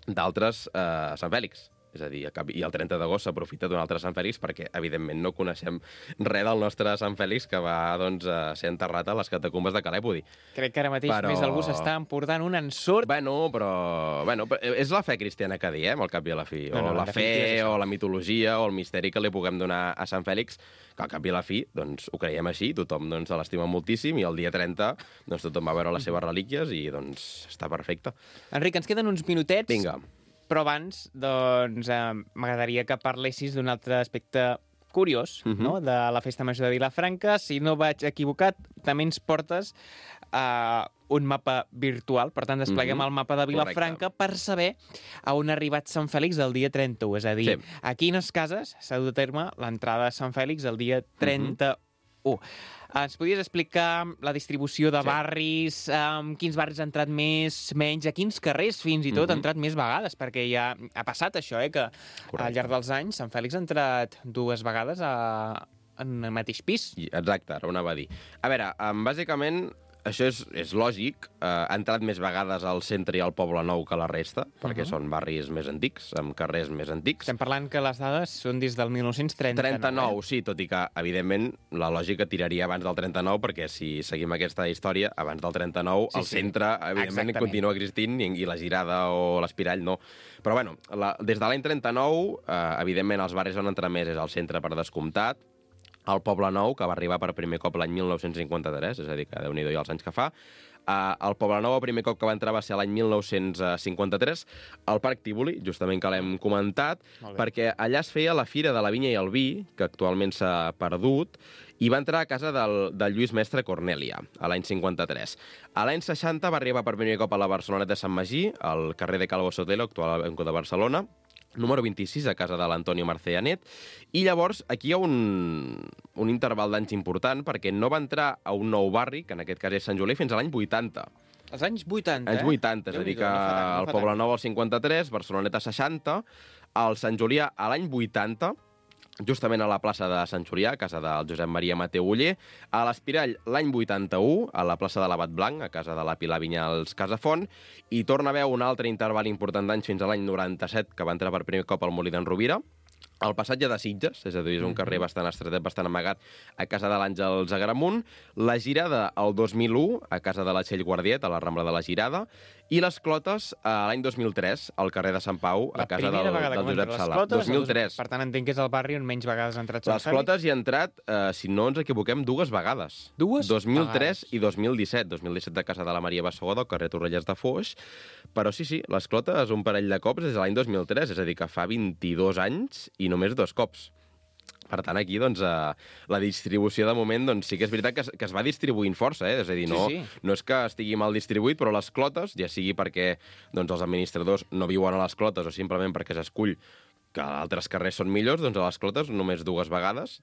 d'altres eh, Sant Fèlix. És a dir, i el trenta d'agost s'aprofita d'un altre Sant Fèlix perquè, evidentment, no coneixem res del nostre Sant Fèlix que va doncs, ser enterrat a les catacumbes de Calèpodi. Crec que ara mateix però... més algú s'està emportant un ensurt. Bueno, però... Bueno, és la fe cristiana que diem, al cap i a la fi. O no, no, la fe, o la mitologia, o el misteri que li puguem donar a Sant Fèlix, que al cap i a la fi doncs, ho creiem així, tothom doncs, l'estima moltíssim, i el dia trenta doncs, tothom va veure les seves relíquies i doncs, està perfecte. Enric, ens queden uns minutets. Vinga. Però abans, doncs, eh, m'agradaria que parlessis d'un altre aspecte curiós, uh-huh. no?, de la Festa Major de Vilafranca. Si no vaig equivocat, també ens portes uh, un mapa virtual. Per tant, despleguem uh-huh. el mapa de Vilafranca. Correcte. Per saber a on ha arribat Sant Fèlix el dia trenta-u. És a dir, sí. a quines cases s'ha dut a terme l'entrada de Sant Fèlix el dia trenta-u. Uh-huh. Ens podries explicar la distribució de sí. barris, um, quins barris han entrat més, menys, a quins carrers fins i tot mm-hmm. han entrat més vegades, perquè ja ha passat això, eh, que Correcte. Al llarg dels anys Sant Fèlix ha entrat dues vegades a, en el mateix pis. Exacte, ara ho anava a dir. A veure, um, bàsicament, això és, és lògic, uh, ha entrat més vegades al centre i al Poble Nou que la resta, perquè uh-huh. són barris més antics, amb carrers més antics. Estem parlant que les dades són des del dinou trenta-nou. trenta-nou, eh? Sí, tot i que, evidentment, la lògica tiraria abans del trenta-nou, perquè si seguim aquesta història, abans del trenta-nou, sí, el sí. centre, evidentment, Exactament. continua existint, i, i la Girada o l'Espirall no. Però, bueno, la, des de l'any trenta-nou, eh, evidentment, els barris on entra més és al centre per descomptat, el Poble Nou, que va arribar per primer cop l'any mil nou-cents cinquanta-tres, és a dir, que Déu-n'hi-do i els anys que fa. Uh, el Poble Nou, el primer cop que va entrar va ser l'any mil nou-cents cinquanta-tres, al Parc Tívoli, justament que l'hem comentat, perquè allà es feia la Fira de la Vinya i el Vi, que actualment s'ha perdut, i va entrar a casa del, del Lluís Mestre Cornèlia, a l'any cinquanta-tres. A l'any seixanta va arribar per primer cop a la Barceloneta de Sant Magí, al carrer de Calvo Sotelo, actual Banco de Barcelona, número vint-i-sis, a casa de l'Antonio Marceanet, i llavors aquí hi ha un, un interval d'anys important, perquè no va entrar a un nou barri, que en aquest cas és Sant Julià, fins a l'any vuitanta. Els anys vuitanta, Anys vuitanta, eh? És a dir que no tant, no el Poble Nou al cinquanta-tres, Barceloneta seixanta, el Sant Julià a l'any vuitanta, justament a la plaça de Sant Julià, a casa del Josep Maria Mateu Oller, a l'Espirall l'any vuitanta-u, a la plaça de l'Abat Blanc, a casa de la Pilar Vinyals Casafont, i torna a haver un altre interval important d'anys fins a l'any noranta-set, que va entrar per primer cop al Molí d'en Rovira, el passatge de Sitges, és a dir, és un carrer bastant estretet, bastant amagat, a casa de l'Àngels Agramunt, la Girada el dos mil u, a casa de la Txell Guardiet, a la Rambla de la Girada, i les Clotes l'any dos mil tres, al carrer de Sant Pau, a casa del, del Josep Sala. dos mil tres. Per tant, entenc que és el barri on menys vegades ha entrat Sant Fèlix. Les Clotes hi ha entrat, eh, si no ens equivoquem, dues vegades. Dues? dos mil tres i dos mil disset. dos mil disset de casa de la Maria Bassegoda, al carrer Torrelles de Foix. Però sí, sí, les Clotes un parell de cops des de l'any dos mil tres, és a dir, que fa vint-i-dos anys i només dos cops. Per tant, aquí, doncs, eh, la distribució de moment, doncs, sí que és veritat que es, que es va distribuint força, eh? És a dir, no, sí, sí. no és que estigui mal distribuït, però les Clotes, ja sigui perquè doncs, els administradors no viuen a les Clotes o simplement perquè s'escull que altres carrers són millors, doncs a les Clotes només dues vegades.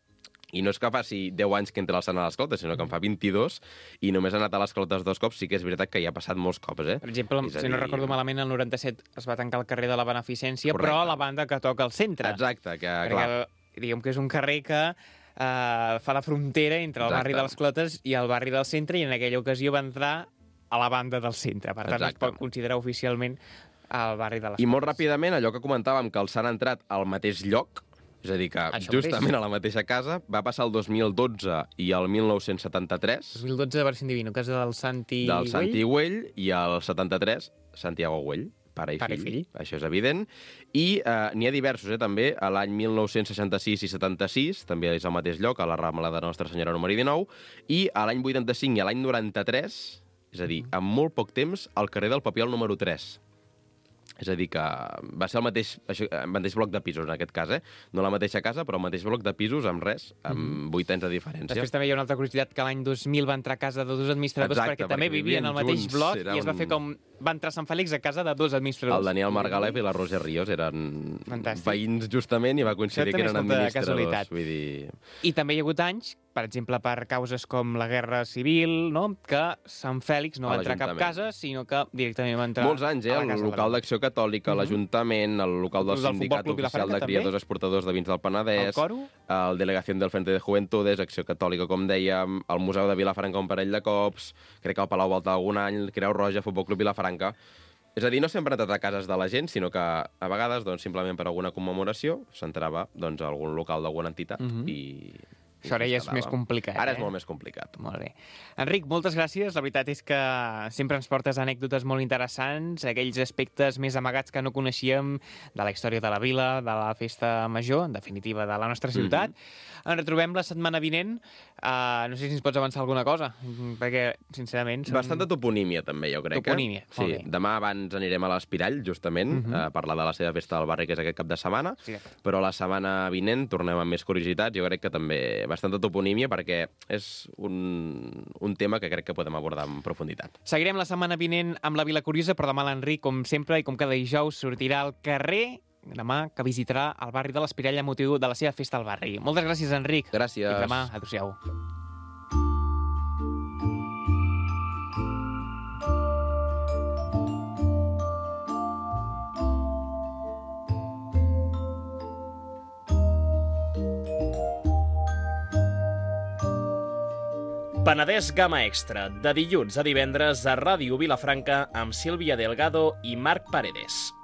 I no és que faci deu anys que entra al Sant a les Clotes, sinó que en fa vint-i-dos, i només ha anat a les Clotes dos cops. Sí que és veritat que hi ha passat molts cops, eh? Per exemple, si dir... no recordo malament, el noranta-set es va tancar el carrer de la Beneficència, Correcte. Però a la banda que toca al centre. Exacte, que Perquè, clar... diguem que és un carrer que eh, fa la frontera entre el Exacte. barri de les Clotes i el barri del centre, i en aquella ocasió va entrar a la banda del centre. Per tant, Exacte. es pot considerar oficialment el barri de les Clotes. I molt ràpidament, allò que comentàvem, que els han entrat al mateix lloc, és a dir, que Això justament mateix. a la mateixa casa, va passar el dos mil dotze i el mil nou-cents setanta-tres. dos mil dotze, Version Divino, casa del Santi Del Güell. Santi Güell, i el setanta-tres, Santiago Güell, pare i, pare fill. i fill. Això és evident. I eh, n'hi ha diversos, eh, també. A l'any mil nou-cents seixanta-sis i setanta-sis, també és al mateix lloc, a la Rambla de Nostra Senyora número dinou, i a l'any vuitanta-cinc i a l'any noranta-tres, és a dir, en molt poc temps, al carrer del Papiol número tres. És a dir, que va ser el mateix, això, el mateix bloc de pisos, en aquest cas, eh? No la mateixa casa, però el mateix bloc de pisos amb res, amb vuit anys de diferència. Després també hi ha una altra curiositat, que l'any dos mil va entrar a casa de dos administradors, Exacte, perquè, perquè també vivien al mateix bloc, i es va fer com va entrar Sant Fèlix a casa de dos administradors. El Daniel Margalef i la Roger Ríos eren Fantàstic. veïns justament i va coincidir que eren administradors. Vull dir... I també hi ha hagut anys, per exemple, per causes com la Guerra Civil, no? que Sant Fèlix no va entrar a cap casa, sinó que directament va entrar Molts anys, eh? El local d'Acció Catòlica, l'Ajuntament, el local del Sindicat Oficial de Criadors Exportadors de Vins del Penedès, el Coro, el Delegació del Frente de Juventudes, Acció Catòlica, com dèiem, el Museu de Vilafranca un parell de cops, crec que el Palau Volta algun any, Creu Roja, Futbol Club Vilafranca. És a dir, no sempre han entrat a cases de la gent, sinó que a vegades, doncs, simplement per alguna commemoració, s'entrava doncs, a algun local d'alguna entitat uh-huh. i... Això ara ja és més complicat. Ara eh? és molt més complicat. Molt bé. Enric, moltes gràcies. La veritat és que sempre ens portes anècdotes molt interessants, aquells aspectes més amagats que no coneixíem de la història de la vila, de la festa major, en definitiva, de la nostra ciutat. Mm-hmm. Ens retrobem la setmana vinent. Uh, no sé si ens pots avançar alguna cosa, perquè, sincerament... Som... Bastant de toponímia, també, jo crec. Toponímia, eh? Sí. Demà abans anirem a l'Espirall, justament, mm-hmm. a parlar de la seva festa del barri, que és aquest cap de setmana, sí. Però la setmana vinent tornem amb més curiositats. Jo crec que també bastanta toponímia, perquè és un, un tema que crec que podem abordar en profunditat. Seguirem la setmana vinent amb la Vila Curiosa, però demà l'Enric, com sempre, i com cada dijous, sortirà al carrer, demà, que visitarà el barri de l'Espirall a motiu de la seva festa al barri. Moltes gràcies, Enric. Gràcies. Fins demà. Adéu-siau. Penedès Gamma Extra, de dilluns a divendres a Ràdio Vilafranca amb Sílvia Delgado i Marc Paredes.